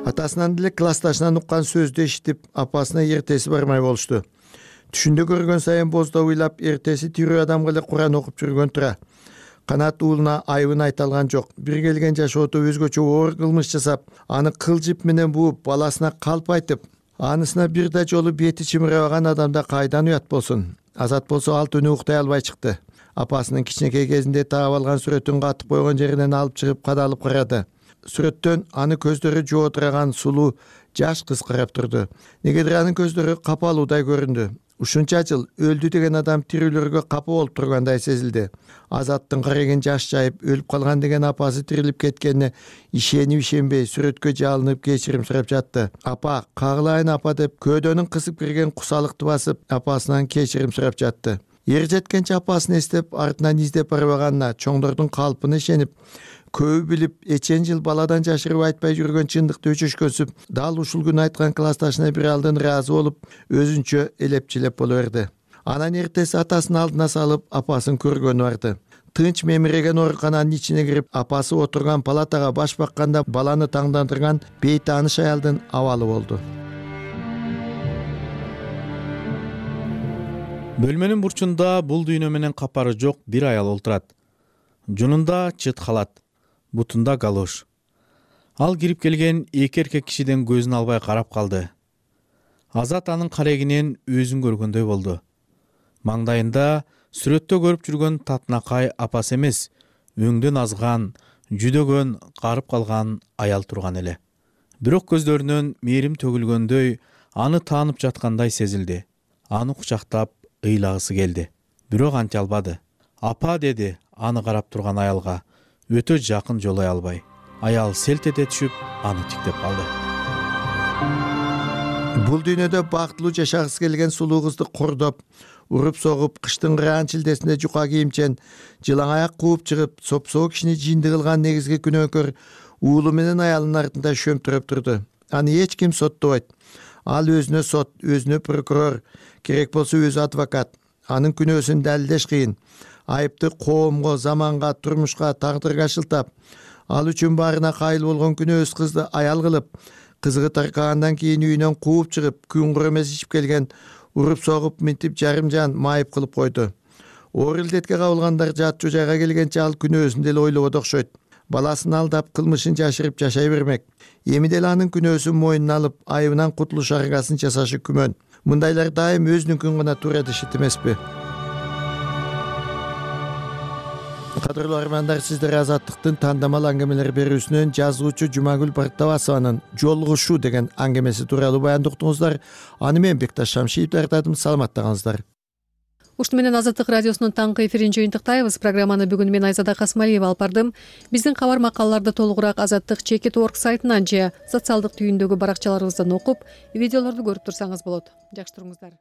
Атасынан деле классташынан уккан сөздү эшитип, апасына эртеси бармай болушту. Түшүндө көргөн сайын боздоп ыйлап, эртеси тирүү адамга эле Куран окуп жүргөн тура. Канат уулуна айыбын айта алган жок. Бир келген жашоодо өзгөчө оор кылмыш жасап, аны кыл жип менен бууп, баласына калп айтып, анысына бир да жолу бети чымырабаган адамда кайдан уят болсун? Азат болсо ал түнү уктай албай чыкты. Апасынын кичинекей кезинде таап алган сүрөтүн катып койгон жеринен алып чыгып кадалып карады. Сүрөттөн аны көздөрү жоотураган сулуу жаш кыз карап турду. Негедир анын көздөрү капалуудай көрүндү. Ушунча жыл өлдү деген адам тирүүлөргө капа болуп тургандай сезилди. Азаттын карегин жаш жайып, өлүп калган деген апасы тирилип кеткенине ишенбей сүрөткө жалынып кечирим сурап жатты. Апа, кагылайын апа деп көөдөнүн кысып кирген кусалыкты басып, апасынан кечирим сурап жатты. Ер жеткенче апасын эстеп, артынан издеп барбаганына, чоңдордун калпына ишенип, көбү билип, эчен жыл баладан жашырып айтпай жүргөн чындыкты өчөшкөнсүп, дал ушул күнү айткан классташына бир алдын ыраазы болуп, өзүнчө элеп-челеп боло берди. Анан эртеси атасын алдына салып, апасын көргөнү барды. Тынч мемиреген оорукананын ичине кирип, апасы отурган палатага баш бакканда баланы таңдандырган бейтааныш аялдын абалы болду. Бөлмөнүн бурчунда бул дүйнө менен капары жок бир аял олтурат. Жунунда чыт халат, бутунда галош. Ал кирип келген эки эркек кишиден көзүн албай карап калды. Азат анын карегинен өзүн көргөндөй болду. Маңдайында сүрөттө көрүп жүргөн татынакай апасы эмес, өңдөн азган, жүдөгөн, карып калган аял турган эле. Бирок көздөрүнөн мээрим төгүлгөндөй, аны таанып жаткандай сезилди. Аны кучактап ыйлагысы келди. Бирок анча албады. Апа деди аны карап турган аялга, өтө жакын жолой албай. Аял селт эте түшүп, аны тиктеп калды. Бул дүйнөдө бактылуу жашагысы келген сулуу кызды кордоп, уруп согуп, кыштын кыраан чилдесинде жука кийимчен жылаң аяк кууп чыгып, сопсоо кишини жинди кылган негизги күнөөкөр уулу менен аялынын артында шөмтүрөп турду. Аны эч ким соттобойт. Ал өзүнө сот, өзүнө прокурор, керек болсо өзү адвокат. Анын күнөөсүн далилдеш кыйын. Айыпты коомго, заманга, турмушка, тагдырга шылтап, ал үчүн баарына кайыл болгон күнөөс кызды аял кылып, кызыгы таркагандан кийин үйүнөн кууп чыгып, күн кур эмес ичип келген, уруп согуп, минтип жарым жан майып кылып койду. Оор илдетке кабылгандар жатчу жайга келгенче ал күнөөсүн деле ойлободо окшойт. Баласын алдап, кылмышын жашырып жашай бермек. Эми деле анын күнөөсүн мойнуна алып, айыбынан кутулуш аргасын жасашы күмөн. Мындайлар дайым өзүнүкүн гана туура дешет эмеспи? Кадырлуу армандар, сиздер Азаттыктын тандамал аңгемелер берүүсүнөн жазуучу Жумагүл Бартабасованын «Жолугушуу» деген аңгемеси тууралуу баянды уктуңуздар. Аны мен Бекташ Шамшиев даярдадым. Саламаттагаңыздар. Ушуну менен Азаттык радиосунун таңкы эфирин жыйынтыктайбыз. Программаны бүгүн мен Айзада Касмалиева алып бардым. Биздин кабар макалаларды толугураак Азаттык.org сайтынан же социалдык түйүндөгү баракчаларыбыздан окуп, видеолорду көрүп турсаңыз болот. Жакшы туруңуздар.